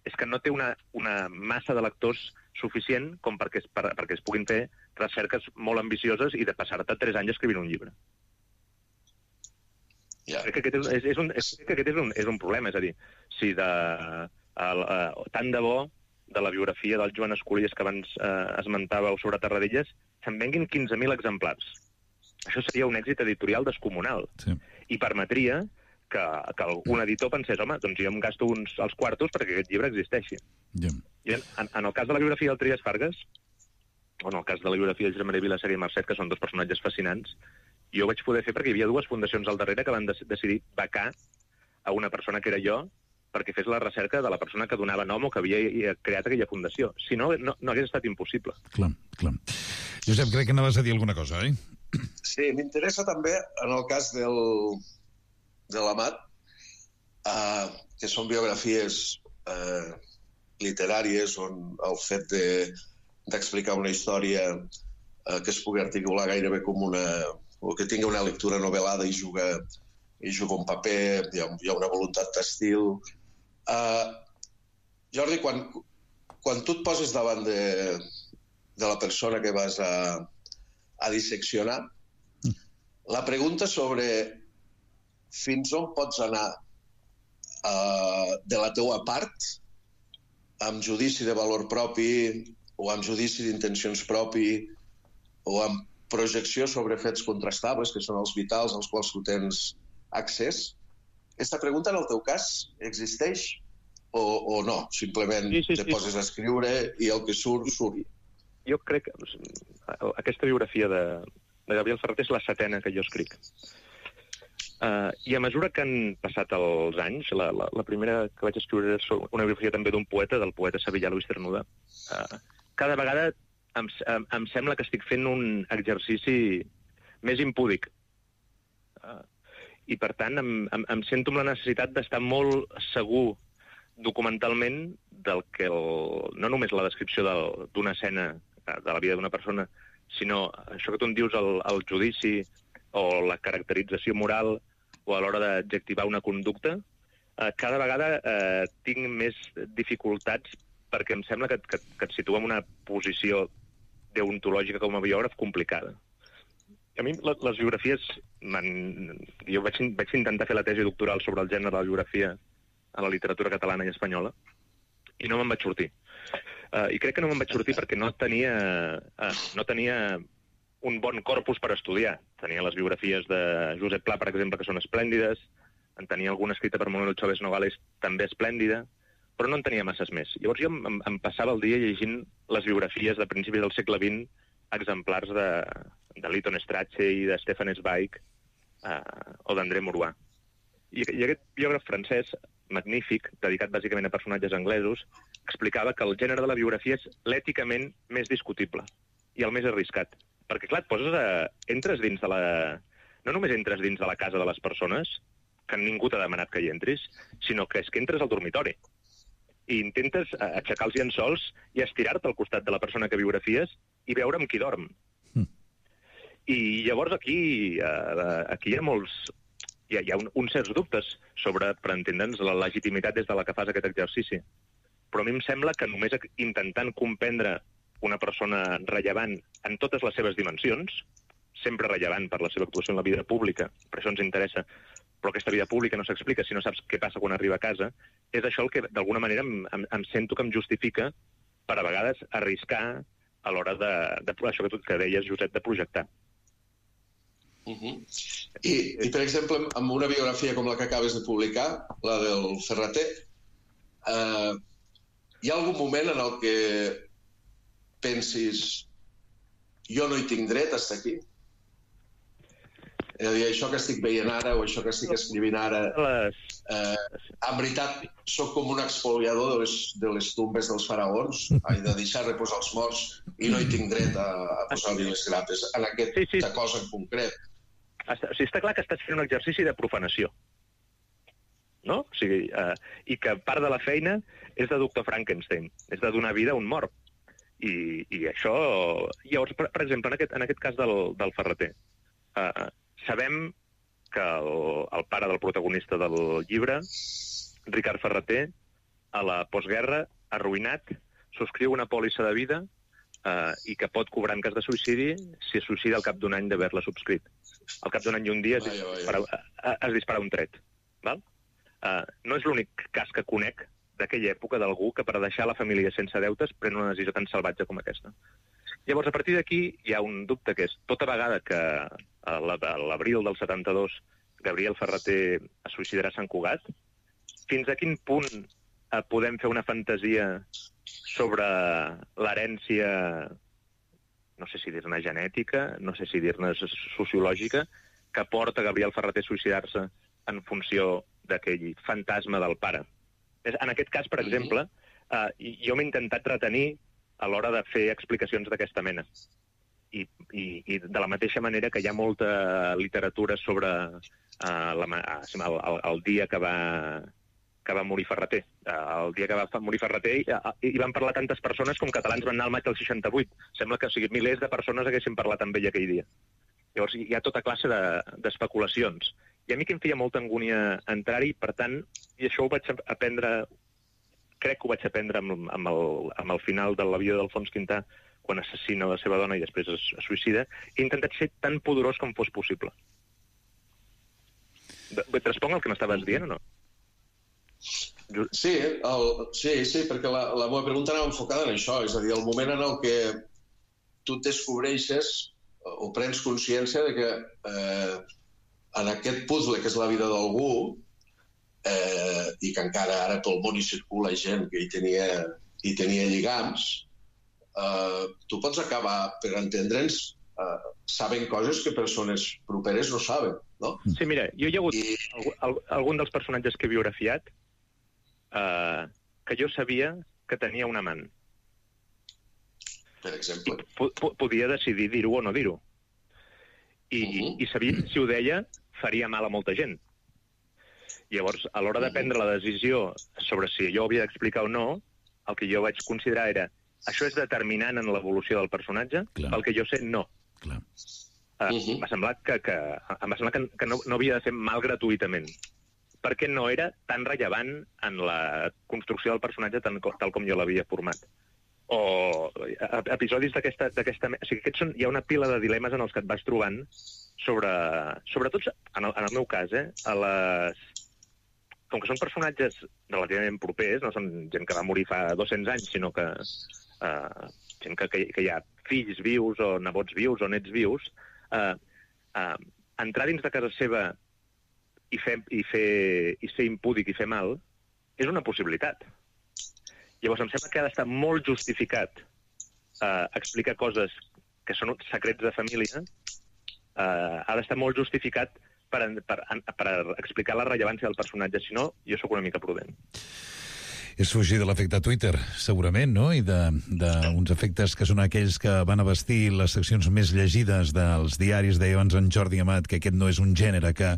és que no té una massa de lectors suficient com perquè es puguin fer recerques molt ambicioses i de passar-te 3 anys escrivint un llibre. Crec que aquest és un problema, és a dir, si tant de bo de la biografia del Joan Esculies que abans esmentàveu sobre Terradellas se'n venguin 15.000 exemplars. Això seria un èxit editorial descomunal i permetria que un editor pensés, home, doncs jo em gasto els quartos perquè aquest llibre existeixi. I en el cas de la biografia del Trias Fargas, o en el cas de la biografia de Josep Maria Vilaseca i Marcet, que són 2 personatges fascinants, jo ho vaig poder fer perquè hi havia 2 fundacions al darrere que van decidir becar a una persona que era jo perquè fes la recerca de la persona que donava nom o que havia creat aquella fundació. Si no, no hagués estat impossible. Clar. Josep, crec que anaves a dir alguna cosa, oi? Sí, m'interessa també, en el cas de l'Amat, que són biografies literàries on el fet d'explicar una història que es pugui articular gairebé com o que tingui una lectura novel·lada i juga un paper, hi ha una voluntat d'estil. Jordi, quan tu et poses davant de la persona que vas a disseccionar, la pregunta sobre fins on pots anar de la teua part, amb judici de valor propi o amb judici d'intencions propi o amb projecció sobre fets contrastables, que són els vitals als quals tu tens accés. Aquesta pregunta, en el teu cas, existeix o no? Simplement te poses a escriure i el que surt. Jo crec que aquesta biografia de Gabriel Ferret és la 7ª que jo escric. I a mesura que han passat els anys, la primera que vaig escriure és una biografia també d'un poeta, del poeta sevillà Luis Cernuda, cada vegada em sembla que estic fent un exercici més impúdic. I, per tant, em sento amb la necessitat d'estar molt segur documentalment del que no només la descripció d'una escena de la vida d'una persona, sinó això que tu em dius, el judici o la caracterització moral o a l'hora d'adjectivar una conducta, cada vegada tinc més dificultats perquè em sembla que et situa en una posició deontològica com a biògraf complicada. A mi les biografies... Jo vaig intentar fer la tesi doctoral sobre el gènere de la biografia a la literatura catalana i espanyola i no me'n vaig sortir. I crec que no me'n vaig sortir perquè no tenia un bon corpus per estudiar. Tenia les biografies de Josep Pla, per exemple, que són esplèndides, en tenia alguna escrita per Manuel Chávez Nogales, també esplèndida, però no en tenia masses més. Llavors jo em passava el dia llegint les biografies de principis del segle XX, exemplars de Lytton Strachey i de Stefan Zweig o d'André Maurois. I aquest biògraf francès, magnífic, dedicat bàsicament a personatges anglesos, explicava que el gènere de la biografia és l'èticament més discutible i el més arriscat. Perquè, clar, entres dins de no només entres dins de la casa de les persones, que ningú t'ha demanat que hi entris, sinó que és que entres al dormitori i intentes aixecar els llençols i estirar-te al costat de la persona que biografies i veure amb qui dorm. I llavors aquí hi ha molts... Hi ha uns certs dubtes sobre, per entendre'ns, la legitimitat des de la que fas aquest exercici. Però a mi em sembla que només intentant comprendre una persona rellevant en totes les seves dimensions, sempre rellevant per la seva actuació en la vida pública, per això ens interessa, però aquesta vida pública no s'explica si no saps què passa quan arriba a casa, és això el que d'alguna manera em sento que em justifica per a vegades arriscar a l'hora de això que deies, Josep, de projectar. I, per exemple, amb una biografia com la que acabes de publicar, la del Ferrater, hi ha algun moment en el que pensis jo no hi tinc dret a estar aquí? És a dir, això que estic veient ara o això que estic escrivint ara, en veritat, sóc com un expoliador de les tombes dels faraons, de deixar reposar els morts i no hi tinc dret a posar-li les grapes en aquesta cosa en concret. O sigui, està clar que estàs fent un exercici de profanació. no? O sigui, i que part de la feina és de Dr. Frankenstein, és de donar vida a un mort. I això... Llavors, per exemple, en aquest cas del Ferreter, sabem que el pare del protagonista del llibre, Ricard Ferreter, a la postguerra, arruïnat, subscriu una pòlissa de vida i que pot cobrar en cas de suïcidi si es suïcida al cap d'un any d'haver-la subscrit. Al cap d'un any i un dia es dispara un tret. Val? No és l'únic cas que conec d'aquella època d'algú que per deixar la família sense deutes pren una decisió tan salvatge com aquesta. Llavors, a partir d'aquí hi ha un dubte que és tota vegada que a l'abril del 72 Gabriel Ferreter es suïcidarà a Sant Cugat, fins a quin punt podem fer una fantasia sobre l'herència, no sé si dir-ne genètica, no sé si dir-ne sociològica, que porta Gabriel Ferreter a suïcidar-se en funció d'aquell fantasma del pare. En aquest cas, per exemple, jo m'he intentat retenir a l'hora de fer explicacions d'aquesta mena. I de la mateixa manera que hi ha molta literatura sobre el dia que va morir Ferreter. El dia que va morir Ferreter hi van parlar tantes persones com catalans van anar al maig del 68. Sembla que milers de persones haguessin parlat amb ell aquell dia. Llavors hi ha tota classe d'especulacions. I a mi que em feia molta angúnia entrar-hi, per tant, i això ho vaig aprendre, crec que ho vaig aprendre amb el final de la vida d'Alfons Quintà, quan assassina la seva dona i després es suïcida, he intentat ser tan poderós com fos possible. Et responc el que m'estaves dient o no? Sí, perquè la meva pregunta anava enfocada en això, és a dir, el moment en el que tu et descobreixes o prens consciència de que en aquest puzzle que és la vida d'algú i que encara ara pel món hi circula gent que hi tenia lligams, tu pots acabar, per entendre'ns, sabent coses que persones properes no saben, no? Sí, mira, jo hi ha hagut algun dels personatges que he biografiat que jo sabia que tenia un amant. Per exemple? Podia decidir dir-ho o no dir-ho. I sabia que si ho deia faria mal a molta gent. Llavors, a l'hora de prendre la decisió sobre si jo havia d'explicar o no, el que jo vaig considerar era això és determinant en l'evolució del personatge, pel que jo sé, no. M'ha semblat que no havia de fer mal gratuïtament, perquè no era tan rellevant en la construcció del personatge tal com jo l'havia format. O episodis d'aquesta... O sigui, hi ha una pila de dilemes en els que et vas trobant sobretot, en el meu cas, com que són personatges relativament propers, no són gent que va morir fa 200 anys, sinó que gent que hi ha fills vius o nebots vius o nets vius, entrar dins de casa seva i ser impúdic i fer mal és una possibilitat. Llavors, em sembla que ha d'estar molt justificat explicar coses que són secrets de família, ha d'estar molt justificat per explicar la rellevància del personatge. Si no, jo sóc una mica prudent. És fugir de l'efecte Twitter, segurament, no? I d'uns efectes que són aquells que van a vestir les seccions més llegides dels diaris. Deia abans en Jordi Amat que aquest no és un gènere que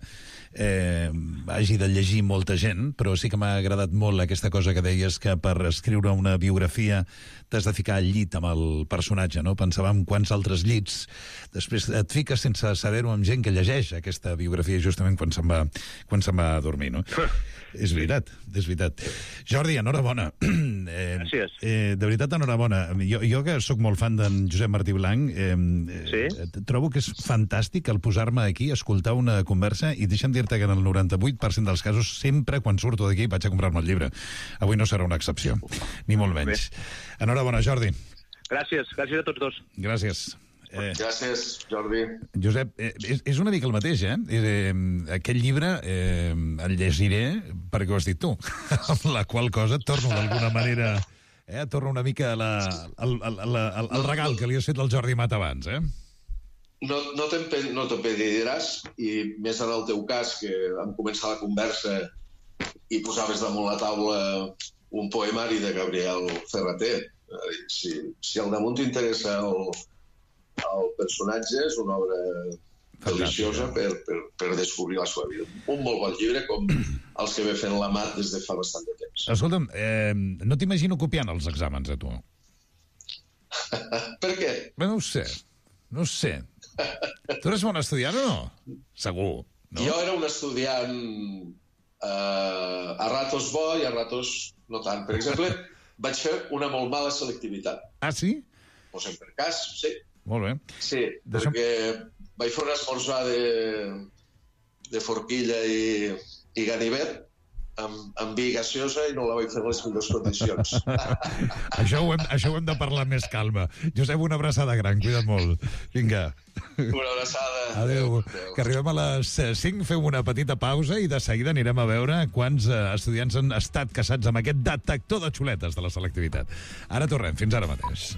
hagi de llegir molta gent, però sí que m'ha agradat molt aquesta cosa que deies, que per escriure una biografia t'has de ficar al llit amb el personatge, no? Pensava en quants altres llits després et fiques sense saber-ho amb gent que llegeix aquesta biografia justament quan se'n va a dormir, no? És veritat. Jordi, enhorabona. Gràcies. De veritat, enhorabona. Jo que sóc molt fan d'en Josep Martí Blanc, trobo que és fantàstic el posar-me aquí, escoltar una conversa, i deixa'm dir-te que en el 98% dels casos, sempre quan surto d'aquí vaig a comprar-me el llibre. Avui no serà una excepció, ni molt menys. Enhorabona, Jordi. Gràcies a tots dos. Gràcies. Gràcies, Jordi. Josep, és una mica el mateix, Aquest llibre el llegiré perquè ho has dit tu, amb la qual cosa torno d'alguna manera... torno una mica al regal que li has fet al Jordi Amat abans, No te'n pediràs, i més en el teu cas, que vam començar la conversa i posaves damunt la taula un poemari de Gabriel Ferreter. Si al damunt t'interessa el personatge, és una obra deliciosa per descobrir la seva vida. Un molt bon llibre, com els que ve fent la Mat des de fa bastant de temps. Escolta'm, no t'imagino copiant els exàmens, a tu. Per què? Bé, no ho sé. Tu eres bon estudiant o no? Segur, no? Jo era un estudiant a ratos bo i a ratos no tant. Per exemple, vaig fer una molt mala selectivitat. Ah, sí? Posem per cas, sí. Molt bé. Sí, perquè vaig fer un esmorzar de forquilla i ganivet amb vi gaseosa i no la vaig fer en les millors condicions. Això ho hem de parlar amb més calma. Josep, una abraçada gran, cuida't molt. Vinga. Una abraçada. Adéu. Que arribem a les 5, fem una petita pausa i de seguida anirem a veure quants estudiants han estat caçats amb aquest detector de xuletes de la selectivitat. Ara tornem, fins ara mateix.